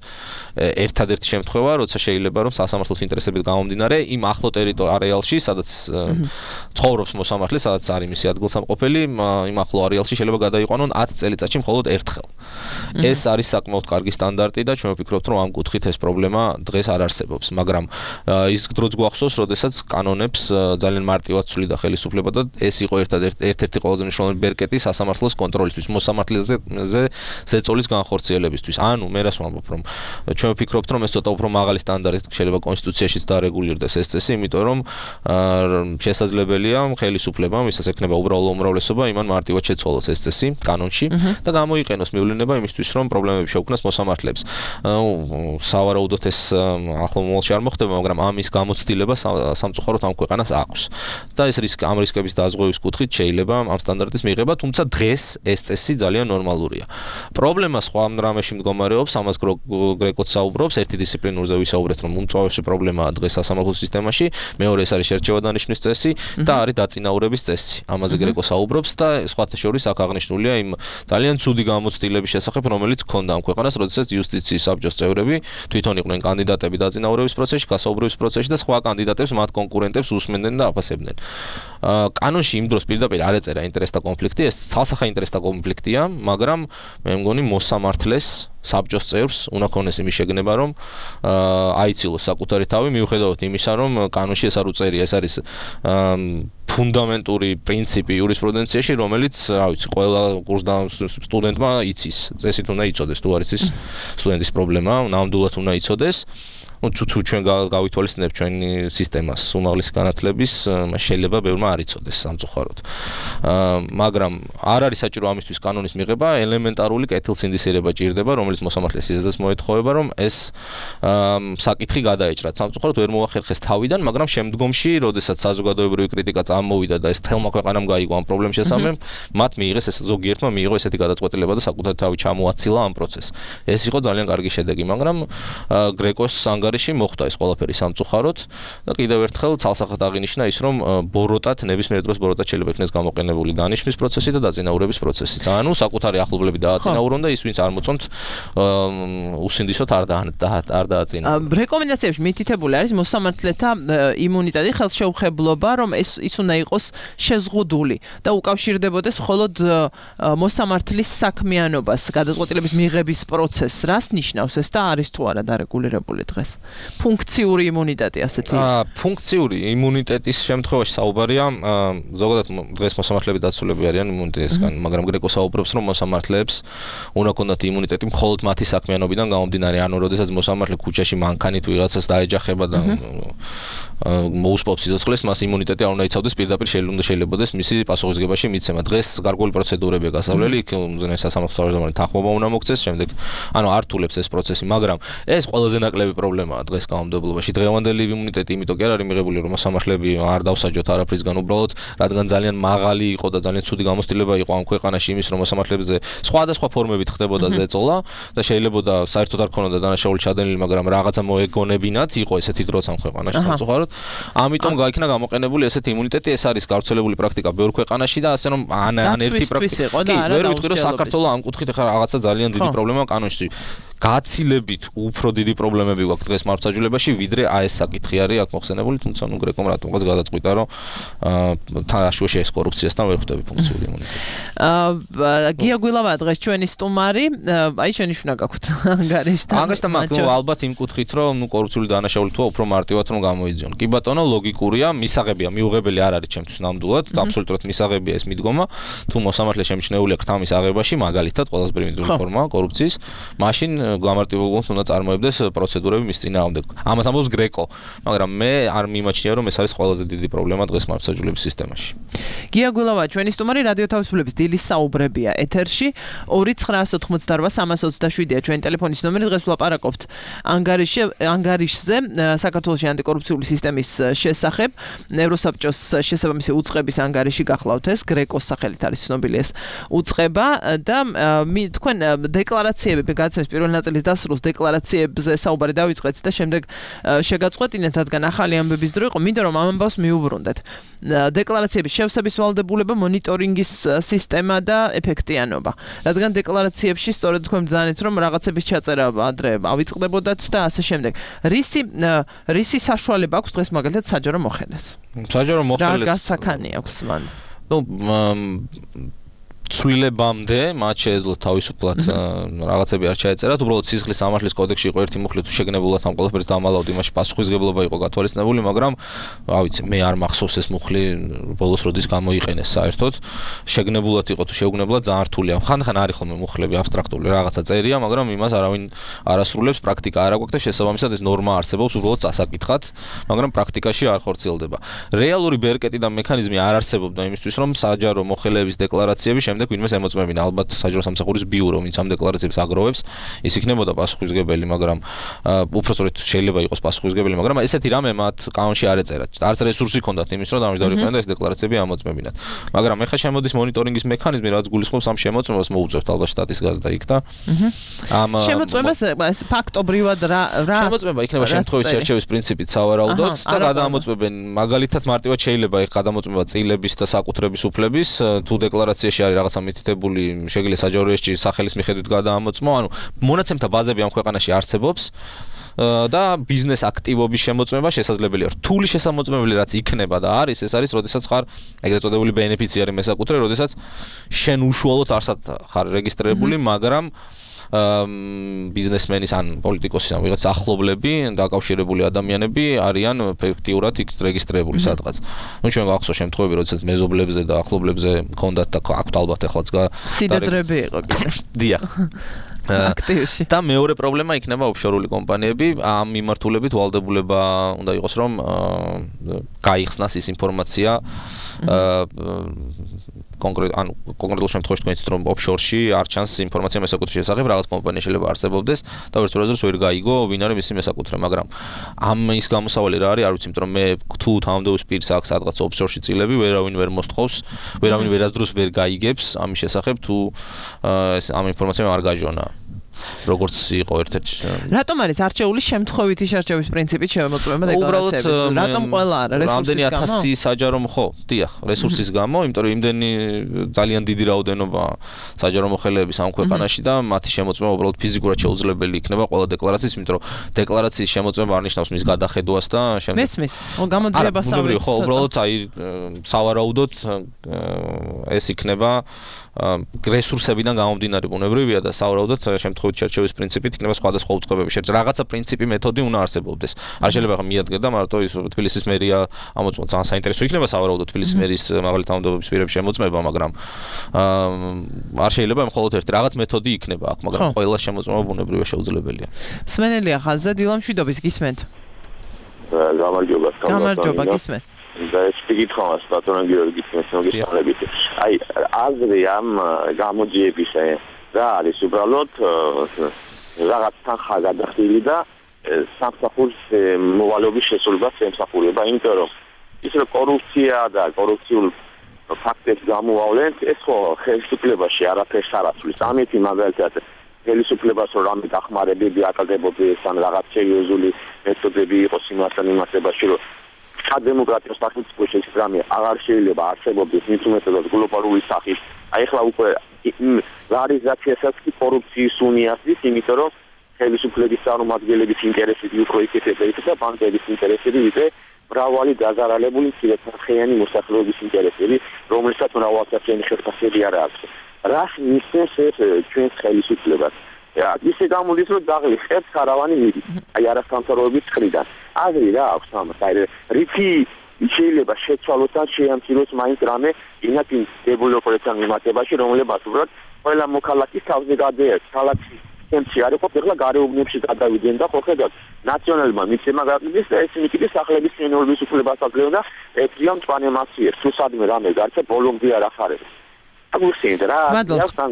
ერთადერთი შემთხვევა, როცა შეიძლება რომ სასამართლოს ინტერესებით გამომდინარე იმ ახლო ტერიტორიალში, სადაც ცხოვრობს მოსამართლე, სადაც არის მისი ადგილსამყოფელი, იმ ახლო არეალში შეიძლება გადაიყვანონ ათი წელიწადში მხოლოდ ერთხელ. ეს არის საკმაოდ კარგი სტანდარტი და ჩვენ ვფიქრობთ რომ ამ კუთხით ეს პრობლემა დღეს არ არსებობს, მაგრამ ის დროც გვახსოვს, როდესაც კანონებს ძალიან მარტივად ცვლიდა ხელისუფლება და ეს იყო ერთადერთი ერთ-ერთი ყველაზე მნიშვნელოვანი ბერკეტი სასამართლოს კონტროლისთვის, მოსამართლეზე ზეწოლის განხორციელებისთვის. ანუ მე რას ვამბობ, რომ ჩვენ ვფიქრობთ, რომ ეს ცოტა უფრო მაღალი სტანდარტით შეიძლება კონსტიტუციაშიც დარეგულირდეს ეს წესი, იმიტომ რომ შესაძლებელია ხელისუფლებამ, ვისაც ექნება უბრალო უმრავლესობა, იმან მარტივად შეცვალოს ეს წესი კანონში და გამოიყენოს მივლენება იმისთვის, რომ პრობლემები შეუქმნას მოსამართლეებს. სავარაუდოდ ეს ახლო მომავალში არ მოხდება, მაგრამ ამის გამოცდილება სამწუხაროდ ამ ქვეყანას აქვს. და ეს რისკ ამ რისკების დაზღვევის კუთხით შეიძლება ამ სტანდარტის მიღება, თუმცა დღეს ეს წესი ძალიან ნორმალურია. პრობლემა სხვა რამეში მდგომარეობს, ამას გრეკოც საუბრობს, ერთი დისციპლინურზე ვისაუბრეთ, რომ უმწვავესი პრობლემაა დღეს სასამართლო სისტემაში, მეორე ეს არის შერჩევა დანიშვნის წესი და არის დაწინაურების წესი. ამაზე გრეკო საუბრობს და სხვათა შორის აქ აღნიშნულია იმ ძალიან ცუდი გამოცდილების შესახებ, რომელიც ჰქონდა ამ ქვეყანას, როდესაც იუსტიციის საბჭოს წევრები თვითონ იყვნენ კანდიდატები დაწინაურების პროცესში, გასაუბრების პროცესში და სხვა კანდიდატებს მათ კონკურენტებს უსმენდნენ და აფასებდნენ. კანონში იმ დროს პირდაპირ არ ეწერა ინტერესთა კონფლიქტი, ეს ცალსახა ინტერესთა კონფლიქტია, მაგრამ მე მგონი მოსამართლეს საბჭოს წევრს უნდა ქონდეს იმის შეგნება, რომ აიცილოს საკუთარი თავი, მიუხედავად იმისა, რომ კანონში ეს არ უწერია, ეს არის ფუნდამენტური პრინციპი იურისპრუდენციაში, რომელიც, რა ვიცი, ყველა კურსდამთავრ სტუდენტმა იცის. წესით უნდა იცოდეს, თუ არ იცის სტუდენტის პრობლემა, ნამდვილად უნდა იცოდეს. თუ თუ ჩვენ გავითვალისწინებთ ჩვენი სისტემას უმაღლესი განათლების, შეიძლება ბევრმა არ იცოდეს სამწუხაროდ. მაგრამ არ არის საჭირო ამისთვის კანონის მიღება, ელემენტარული კეთილსინდისიერება ჭირდება, რომელიც მოსამართლეს ისედაც მოეთხოვება, რომ ეს საკითხი გადაეჭრათ. სამწუხაროდ ვერ მოახერხეს თავიდან, მაგრამ შემდგომში, როდესაც საზოგადოებრივი კრიტიკა წამოვიდა და ეს თელმა ქვეყანამ გაიგო ამ პრობლემის შესახებ, მათ მიიღეს ეს ზოგიერთმა მიიღო ესეთი გადაწყვეტილება და საკუთარი თავი ჩამოაცილა ამ პროცესს. ეს იყო ძალიან კარგი შედეგი, მაგრამ გრეკოს ანგარიში მოხდა ეს ყველაფერი სამწუხაროდ და კიდევ ერთხელ ცალსახად აღინიშნა ის, რომ ბოროტად ნებისმიერ დროს ბოროტად შეიძლება იქნეს გამოყენებული დანიშვნის პროცესი და დაწინაურების პროცესი. ანუ საკუთარი ახლობლები დააწინაურონ და ის ვინც არ მოწონთ უსინდისოდ არ არ დააწინაურონ. რეკომენდაციებში მითითებული არის მოსამართლეთა იმუნიტეტი, ხელშეუხებლობა, რომ ეს ის უნდა იყოს შეზღუდული და უკავშირდებოდეს მხოლოდ მოსამართლის საქმიანობას, გადაწყვეტილების მიღების პროცესს. რას ნიშნავს ეს და არის თუ არა დარეგულირებული დღეს? ფუნქციური იმუნიტეტი ასეთი. აა ფუნქციური იმუნიტეტის შემთხვევაში საუბარია, ზოგადად დღეს მოსამართლეები დაცულები არიან იმუნიტეტისგან, მაგრამ გრეკო საუბრობს, რომ მოსამართლეებს უნდა ქონდათ იმუნიტეტი მხოლოდ მათი საქმიანობიდან გამომდინარე, ანუ როდესაც მოსამართლე ქუჩაში მანქანით ვიღაცას დაეჯახება და მოუსპობს სიცოცხლეს, მას იმუნიტეტი არ უნდა იცავდეს, პირდაპირ შეიძლება შეიძლებადეს მისი პასუხისგებაში მიცემა. დღეს გარკვეული პროცედურებია გასავლელი, იქ უზენაეს სასამართლო თავმჯდომარე თანხმობა უნდა მოგცეს, შემდეგ ანუ არ თულებს ეს პროცესი, მაგრამ ეს ყველაზე ნაკლები პრობლემა. პრობლემაა დღეს კანონმდებლობაში. დღევანდელი იმუნიტეტი იმიტომ კი არ არის მიღებული, რომ მოსამართლეები არ დავსაჯოთ არაფრისგან, უბრალოდ რადგან ძალიან მაღალი იყო და ძალიან ცუდი გამოცდილება იყო ამ ქვეყანაში იმის, რომ მოსამართლეებზე სხვადასხვა ფორმებით ხდებოდა ზეწოლა და შეიძლებოდა საერთოდ არ ქონოდა დანაშაული ჩადენილი, მაგრამ რაღაცა მოეგონებინათ, იყო ესეთი დროც ამ ქვეყანაში სამწუხაროდ. ამიტომ გაიქნა გამოყენებული ესეთი იმუნიტეტი, ეს არის გავრცელებული პრაქტიკა ბევრ ქვეყანაში და ასე რომ ან ან ერთი პრაქტიკა. კი, ვერ ვიტყვი რომ საქართველოს ამ კუთხით ახლა რაღაცა ძალიან დიდი პრობლემაა კანონში. გაცილებით უფრო დიდი პრობლემები გვაქვს დღეს მართლმსაჯულებაში, ვიდრე აი ეს საკითხი არის აქ მოხსენებული, თუმცა ნუ გრეკომ რატომღაც გადაწყვიტა, რომ თან აშუაში ეს კორუფციასთან ვერ ხვდები ფუნქციური იმუნიტეტი. აა გია გვილავა დღეს ჩვენი სტუმარი, აი შენი შუნა გაქვთ ანგარიშთან. ანგარიშთან მაგ ნუ ალბათ იმ კუთხით, რომ ნუ კორუფციული დანაშაული თუა უფრო მარტივად რომ გამოიძიონ. კი ბატონო, ლოგიკურია, მისაღებია, მიუღებელი არ არის ჩემთვის ნამდვილად, აბსოლუტურად მისაღებია ეს მიდგომა, თუ მოსამართლე შემჩნეულია ქრთამის აღებაში, მაგალითად, ყველაზე პრიმიტიული ფორმაა კორუფციის, მაშინ გამარტივებულად უნდა წარმოებდეს პროცედურები მის წინააღმდეგ. ამას ამბობს გრეკო, მაგრამ მე არ მიმაჩნია, რომ ეს არის ყველაზე დიდი პრობლემა დღეს მართლმსაჯულების სისტემაში. გია გვილავა, ჩვენი სტუმარი რადიო თავისუფლების დილის საუბრებია ეთერში. ორი ცხრაას ოთხმოცდარბა სამას ოცდაშვიდია ჩვენი ტელეფონის ნომერი. დღეს ვლაპარაკობთ ანგარიშზე, ანგარიშზე საქართველოს ანტიკორუფციული სისტემის შესახებ. ევროსაბჭოს შესაბამისი უწყების ანგარიში გახლავთ ეს, გრეკოს სახელით არის ცნობილი ეს უწყება და თქვენ დეკლარაციები გაცემს პირველ ნაწილის დასრულს დეკლარაციებზე საუბარი დავიწყეთ და შემდეგ შეგაწყვეტინეთ, რადგან ახალი ამბების დრო იყო, მინდა რომ ამ ამბავს მიუბრუნდეთ. დეკლარაციების შევსების ვალდებულება, მონიტორინგის სისტემა და ეფექტიანობა. რადგან დეკლარაციებში სწორედ თქვენ ბრძანეთ, რომ რაღაცების ჩაწერა ადრე ავიწყდებოდათ და ასე შემდეგ. რისი რისი საშუალება აქვს დღეს მაგალითად საჯარო მოხელეს? საჯარო მოხელეს. რა გასაქანი აქვს მან? ნუ ცვლილებამდე მათ შეეძლოთ თავისუფლად რაღაცები არ ჩაეწერათ, უბრალოდ სისხლის სამართლის კოდექსში იყო ერთი მუხლი, თუ შეგნებულად ამ ყველაფერს დამალავთ, იმაში პასუხისმგებლობა იყო გათვალისწინებული, მაგრამ რა ვიცი, მე არ მახსოვს ეს მუხლი ბოლოს როდის გამოიყენეს საერთოდ. შეგნებულად იყო თუ შეუგნებლად ძალიან რთულია. ხანდახან არის ხოლმე მუხლები აბსტრაქტული რაღაცა წერია, მაგრამ იმას არავინ არ ასრულებს, პრაქტიკა არ აქვს და შესაბამისად ეს ნორმა არსებობს, უბრალოდ წასაკითხად, მაგრამ პრაქტიკაში არ ხორციელდება. რეალური ბერკეტი და მექანიზმი არ არსებობდა იმისთვის, რომ საჯარო მოხელეების დეკლარაციები შემდეგ ვინმეს ემოწმებინა, ალბათ საჯარო სამსახურის ბიურო, ვინც ამ დეკლარაციებს აგროვებს, ის იქნებოდა პასუხისმგებელი, მაგრამ უпростоრეთ შეიძლება იყოს პასუხისმგებელი, მაგრამ ესეთი რამე მათ კანონში არ ეწერა. არც რესურსი ჰქონდათ იმის, რომ დამჯდარიყავენ და ეს დეკლარაციები ამოწმებინათ. მაგრამ ეხლა შემოდის მონიტორინგის მექანიზმი, რაც გულისხმობს ამ შემოწმებას მოუწევთ ალბათ შტატის გაზდა იქ და ამ შემოწმებას ეს ფაქტობრივად რა რა შემოწმება იქნება შემთხვევით შერჩევის პრინციპით სავარაუდოდ და გადაამოწმებენ მაგალითად მარტივად შეიძლება იქ გადამოწმება წილების და საკუთრების უფლების, თუ დეკლარაციაში არის რაღაცა მითითებული, შეგიძლია საჯარო რეესტრში სახელის მიხედვით გადაამოწმო, ანუ მონაცემთა ბაზები ამ ქვეყანაში არსებობს და ბიზნეს აქტივობის შემოწმება შესაძლებელია. რთული შესამოწმებელი რაც იქნება და არის, ეს არის, როდესაც ხარ ეგრეთ წოდებული ბენეფიციარი მესაკუთრე, როდესაც შენ უშუალოდ არსად ხარ რეგისტრირებული, მაგრამ ბიზნესმენის ან პოლიტიკოსის ან ვიღაც ახლობლები, დაკავშირებული ადამიანები არიან ეფექტიურად იქ რეგისტრირებული სადღაც. ნუ ჩვენ გვახსოვს შემთხვევები, როდესაც მეზობლებზე და ახლობლებზე მქონდათ და აქვთ ალბათ ეხლაც სიდედრები იყო კიდე. დიახ. აქტივში. და მეორე პრობლემა იქნება ოფშორული კომპანიები, ამ მიმართულებით ვალდებულება უნდა იყოს, რომ გაიხსნას ის ინფორმაცია კონკრეტ ანუ კონკრეტულ შემთხვევაში თქვენ იცით რომ ოფშორში არ ჩანს ინფორმაცია მესაკუთრის შესახებ, რაღაც კომპანია შეიძლება არსებობდეს და ვერც როდესაც ვერ გაიგო ვინ არის მისი მესაკუთრე, მაგრამ ამ ის გამოსავალი რა არის, არ ვიცი, იმიტომ რომ მე თუ თანამდებობის პირს აქვს სადღაც ოფშორში წილები, ვერავინ ვერ მოსთხოვს, ვერავინ ვერასდროს ვერ გაიგებს ამის შესახებ, თუ ეს ამ ინფორმაციამ არ გაჟონა. როგორც იყო ერთ-ერთი. რატომ არის არჩეული შემთხვევითი შერჩევის პრინციპით შემოწმება დეკლარაციების? რატომ ყველა არა რესურსის გამო? ათასი საჯარო ხო, დიახ, რესურსის გამო, იმიტომ რომ იმდენი ძალიან დიდი რაოდენობა საჯარო მოხელეების ამ ქვეყანაში და მათი შემოწმება უბრალოდ ფიზიკურად შეუძლებელი იქნება ყველა დეკლარაციის, იმიტომ რომ დეკლარაციის შემოწმება არ ნიშნავს მის გადახედვას და შემდეგ. მესმის, გამოძიებას ავიღოთ. ხო, უბრალოდ აი სავარაუდოდ ეს იქნება რესურსებიდან გამომდინარე ბუნებრივია და სავარაუდოდ შემთხვევით შერჩევის პრინციპით იქნება სხვადასხვა უწყებები შერჩ. რაღაცა პრინციპი მეთოდი უნდა არსებობდეს. არ შეიძლება ხა მიადგა და მარტო ის თბილისის მერია ამოწმოთ. ძალიან საინტერესო იქნება სავარაუდოდ თბილისის მერის მაღალი თანამდებობის პირების შემოწმება, მაგრამ არ შეიძლება მხოლოდ ერთი რაღაც მეთოდი იქნება აქ, მაგრამ ყველა შემოწმება ბუნებრივია შეუძლებელია. სმენელია ხაზზე დილამშვიდობის გისმენთ. გამარჯობა, გამარჯობა გისმენთ. და ეს პიკითხავს ბატონო გიორგის მოგესალმებით. აი, აზრი ამ გამოძიების რა არის უბრალოდ რაღაც თანხა გადახდილი და სამსახურს მოვალეობის შესრულებას ემსახურება, იმიტომ რომ ის რომ კორუფცია და კორუფციულ ფაქტებს გამოავლენთ, ეს ხო ხელისუფლებაში არაფერს არ აცვლის. ამით მაგალითად ხელისუფლებას რომ რამე დახმარებები აკაგებოდეს ან რაღაც სერიოზული მეთოდები იყოს იმასთან იმასებაში, რომ სადემოკრატიო სახელმწიფოში ეს რამე აღარ შეიძლება არსებობდეს, მით უმეტესად გლობალური სახით. აი ახლა უკვე ლარიზაციასაც კი კორუფციის უნიასდის, იმიტომ რომ ხელისუფლების წარმომადგენლების ინტერესები უფრო იქეთება და ბანკების ინტერესები ვიდრე მრავალი დაზარალებული მცირეწლიანი მოსახლეობის ინტერესები, რომელსაც მრავალსაფრენი ხელფასები არ აქვს. რას მისცემს ეს ჩვენს ხელისუფლებას? ისე გამოდის, რომ დაღლი ხერხს ქარავანი მიდის. აი არასამთავრობოების მხრიდან. აზრი რა აქვს ამას? აი რითი შეიძლება შეცვალოს და შეამციროს მაინც რამე ინაკინ დეველოპერთან მიმართებაში, რომლებაც უბრალოდ ყველა მოქალაქის თავზე გადაერთ. ქალაქის ცენტრი არ იყო, ახლა გარეუბნებში გადავიდნენ და ხო ხედავთ, ნაციონალურმა მიცემა გაყიდეს და ესენი კიდე სახლების შენობის უფლებას აძლევენ და ეთრია მწვანე მასიერ. თუ სადმე რამე გარჩა ბოლომდე არ ახარებს. აგუსინ რა, აქვს ამ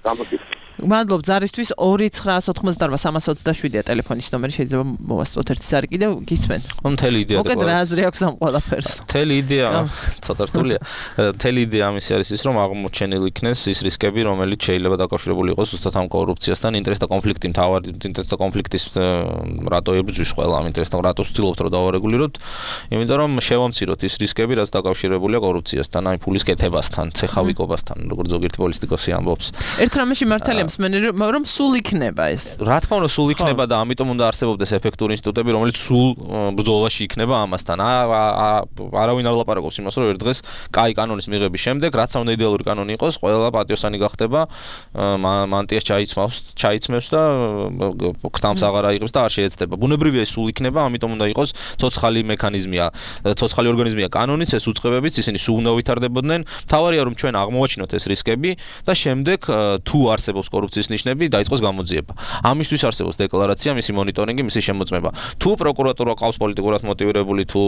გამოკითხვა. მადლობ ზარისთვის ორი ცხრა ოთხმოცდაოთხ სამას ოცდაშვიდია ტელეფონის ნომერი შეიძლება მოვასწროთ ერთი ზარი კიდევ გისმენ. მთელი იდეა და მოკეთ რა აზრი აქვს ამ ყველაფერს. მთელი იდეა ცოტა რთულია. მთელი იდეა ამისი არის ის რომ აღმოჩენილი იქნეს ის რისკები რომელიც შეიძლება დაკავშირებული იყოს ზუსტად ამ კორუფციასთან, ინტერესთა კონფლიქტი მთავარი ინტერესთა კონფლიქტის რატო ებრძვის ყველა ამ ინტერესთან რატო ვცდილობთ რომ დავარეგულიროთ? იმიტომ რომ შევამციროთ ის რისკები რაც დაკავშირებულია კორუფციასთან, აი ფულის კეთებასთან, ცეხავიკობასთან, როგორც ზოგიერთი პოლიტიკოსი ამბობს. ერთ რამეში მართალია რომ სულ იქნება ეს. რა თქმა უნდა სულ იქნება და ამიტომ უნდა არსებობდეს ეფექტური ინსტიტუტები, რომელიც სულ ბრძოლაში იქნება ამასთან. არავინ არ ლაპარაკობს იმას, რომ ერთ დღეს კაი კანონის მიღების შემდეგ, რაც უნდა იდეალური კანონი იყოს, ყველა პატიოსანი გახდება, მანტიას ჩაიცმავს, ჩაიცმევს და ქტამს აღარ აიღებს და არ შეეცდება. ბუნებრივია ეს სულ იქნება, ამიტომ უნდა იყოს ცოცხალი მექანიზმია, ცოცხალი ორგანიზმია კანონიც, ეს უწყებებიც, ისინი სულ უნდა ვითარდებოდნენ. მთავარია რომ ჩვენ აღმოვაჩინოთ ეს რისკები და შემდეგ თუ არსებობს კორუფციის ნიშნები დაიწყოს გამოძიება. ამისთვის არსებობს დეკლარაცია, მისი მონიტორინგი, მისი შემოწმება. თუ პროკურატურა ყავს პოლიტიკურად მოტივირებული, თუ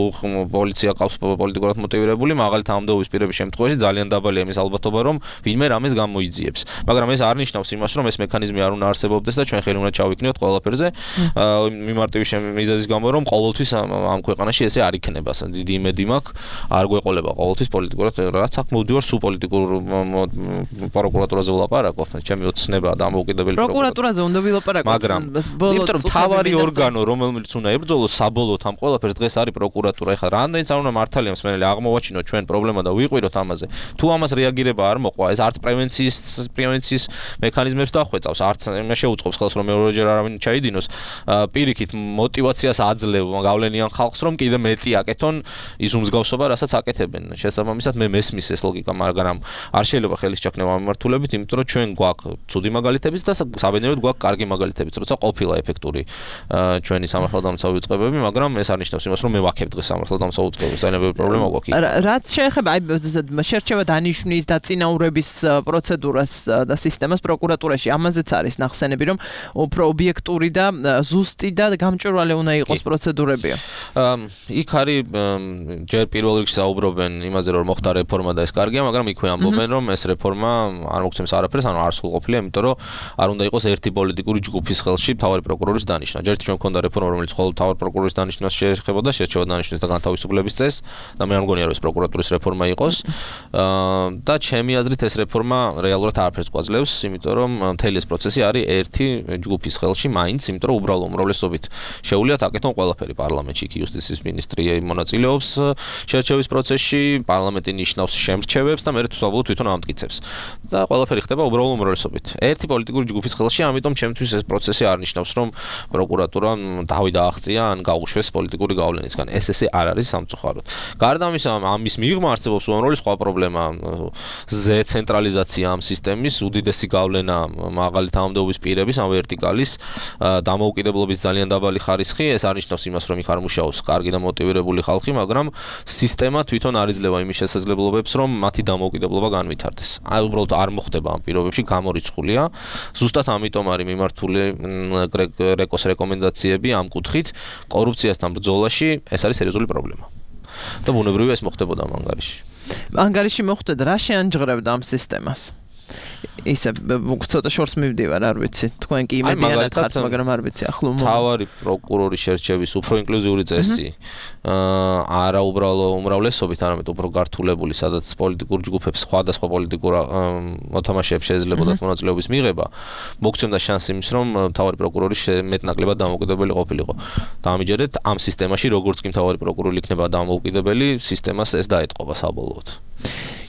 პოლიცია ყავს პოლიტიკურად მოტივირებული, მაგალითად ამდეობის პირების შემთხვევაში ძალიან დაბალია იმის ალბათობა, რომ ვინმე რამეს გამოიძიებს. მაგრამ ეს არ ნიშნავს იმას, რომ ეს მექანიზმი არ უნდა არსებობდეს და ჩვენ ხელი უნდა ჩავიქნიოთ ყველაფერზე, მიმართების მიზეზის გამო, რომ ყოველთვის ამ ქვეყანაში ესე არ იქნება. დიდი იმედი მაქვს, არ გვეყოლება ყოველთვის პოლიტიკურად, რაც აქ მოვდივარ სულ პოლიტიკურ პროკურატურაზე ვლაპარაკობ, ჩემი ოცნება და ამოუკიდებელი პროკურატურაზე უნდა ვილაპარაკოთ. მაგრამ იმიტომ რომ თავარი ორგანო, რომელიც უნდა ებრძოლოს საბოლოოდ ამ ყველაფერს დღეს არის პროკურატურა. ეხლა რამდენიც არ უნდა მართალია მსმენელი აღმოვაჩინოთ ჩვენ პრობლემა და ვიყვიროთ ამაზე. თუ ამას რეაგირება არ მოყვა, ეს არც პრევენციის პრევენციის მექანიზმებს დახვეწავს, არც შეუწყობს ხელს რომ მეორეჯერ არავინ ჩაიდინოს. პირიქით მოტივაციას აძლევ გავლენიან ხალხს რომ კიდე მეტი აკეთონ ის უმსგავსობა, რასაც აკეთებენ. შესაბამისად მე მესმის ეს ლოგიკა, მაგრამ არ შეიძლება ხელის ჩაქნება ამ მიმართულებით, იმიტომ რომ ჩვენ გვაქვს ცუდი მაგალითებიც და საბედნიეროდ გვაქვს კარგი მაგალითებიც, როცა ყოფილა ეფექტური ჩვენი სამართალდამცავი უწყებები, მაგრამ ეს არ ნიშნავს იმას, რომ მე ვაქებ დღეს სამართალდამცავ უწყებებს, ძალიან პრობლემა გვაქვს. რაც შეეხება აი შერჩევა დანიშვნის და წინაურების პროცედურას და სისტემას პროკურატურაში, ამაზეც არის ნახსენები, რომ უფრო ობიექტური და ზუსტი და გამჭვირვალე უნდა იყოს პროცედურებია. იქ არის ჯერ პირველ რიგში საუბრობენ იმაზე, რომ მოხდა რეფორმა და ეს კარგია, მაგრამ იქვე ამბობენ, რომ ეს რეფორმა არ მოგცემს არაფერს, ანუ არ სრულყოფილია, იმიტომ რომ არ უნდა იყოს ერთი პოლიტიკური ჯგუფის ხელში მთავარი პროკურორის დანიშვნა. ჯერ ჩვენ მქონდა რეფორმა, რომელიც მხოლოდ მთავარი პროკურორის დანიშვნას შეეხებოდა, შერჩევა დანიშვნის და განთავისუფლების წესს და მე არ მგონია, რომ ეს პროკურატურის რეფორმა იყოს. და ჩემი აზრით ეს რეფორმა რეალურად არაფერს გვაძლევს, იმიტომ რომ მთელი ეს პროცესი არის ერთი ჯგუფის ხელში, მაინც, იმიტომ რომ უბრალო უმრავლესობით შეუძლიათ აკეთონ ყველაფერი პარლამენტში, იქ იუსტიციის მინისტრი მონაწილეობს შერჩევის პროცესში, პარლამენტი ნიშნავს შემრჩევებს და მე თვითონ თვითონ ამტკიცებს. და ყველაფერი ხდება უბრალო უმრავლესობით. ერთი პოლიტიკური ჯგუფის ხელში, ამიტომ ჩემთვის ეს პროცესი არ ნიშნავს, რომ პროკურატურა დავი დააღწია ან გაუშვეს პოლიტიკური გავლენისგან. ეს ესე არ არის სამწუხაროდ. გარდა ამისა, ამის მიღმა არსებობს უამრავი სხვა პრობლემა. ზე ცენტრალიზაცია ამ სისტემის, უდიდესი გავლენა მაგალითად ამდეობის პირების, ამ ვერტიკალის დამოუკიდებლობის ძალიან დაბალი ხარისხი. ეს არ ნიშნავს იმას, რომ იქ არ მუშაობს კარგი და მოტივირებული ხალხი, მაგრამ სისტემა თვითონ არ იძლევა იმის შესაძლებლობებს, რომ მათი დამოუკიდებლობა განვითარდეს. აი უბრალოდ არ მოხდება ამ პირობებში, გამორიცხულია. ზუსტად ამიტომ არის მიმართული რეკოს რეკომენდაციები ამ კუთხით, კორუფციასთან ბრძოლაში ეს არის სერიოზული პრობლემა. და ბუნებრივია ეს მოხდებოდა ამ ანგარიში. ანგარიში მოხდა და რა შეანჯღრებდა ამ სისტემას? ისე ცოტა შორს მივდივარ, არ ვიცი. თქვენ კი იმედიანად ხართ, მაგრამ არ ვიცი ახლო. თავარი პროკურორის შერჩევის უფრო ინკლუზიური წესი. აა არა უბრალო უმრავლესობით, არამედ უფრო გართულებული, სადაც პოლიტიკურ ჯგუფებს სხვადასხვა პოლიტიკურ მოთამაშეებს შეიძლებოდა მონაწილეობის მიღება. მოგცემდა შანსი იმის, რომ თავარი პროკურორი მეტნაკლებად დამოუკიდებელი ყოფილიყო. დაამიჯერეთ ამ სისტემაში, როგორც კი თავარი პროკურორი იქნება დამოუკიდებელი, სისტემას ეს დაეტყობა საბოლოოდ.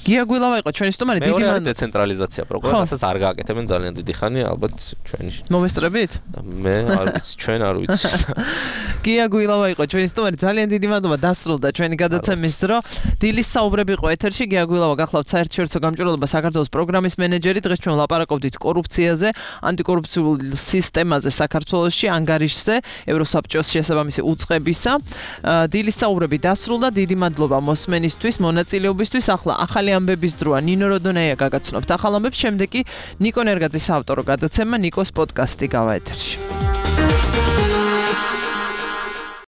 გია გვილავა იყო ჩვენი სტუმარი, დიდი მადლობა. დეცენტრალიზაცია პროგრამასაც არ გააკეთებენ ძალიან დიდი ხანი, ალბათ ჩვენი. მოვესწრებით? მე არ ვიცი, ჩვენ არ ვიცი. გია გვილავა იყო ჩვენი სტუმარი, ძალიან დიდი მადლობა, დასრულდა ჩვენი გადაცემის დრო. დილის საუბრები იყო ეთერში, გია გვილავა გახლავთ საერთაშორისო გამჭვირვალობა საქართველოს პროგრამის მენეჯერი. დღეს ჩვენ ვლაპარაკობდით კორუფციაზე, ანტიკორუფციულ სისტემაზე საქართველოში, ანგარიშზე, ევროსაბჭოს შესაბამისი უწყებისა. დილის საუბრები დასრულდა, დიდი მადლობა მოსმენისთვის, მონაწილეობისთვის. ახლა ახალი ამბების დროა. ნინო როდონეია გაგაცნობთ ახალ ამბებს, შემდეგ კი ნიკო ნერგაძის ავტორო გადაცემა ნიკოს პოდკასტი გავა ეთერში.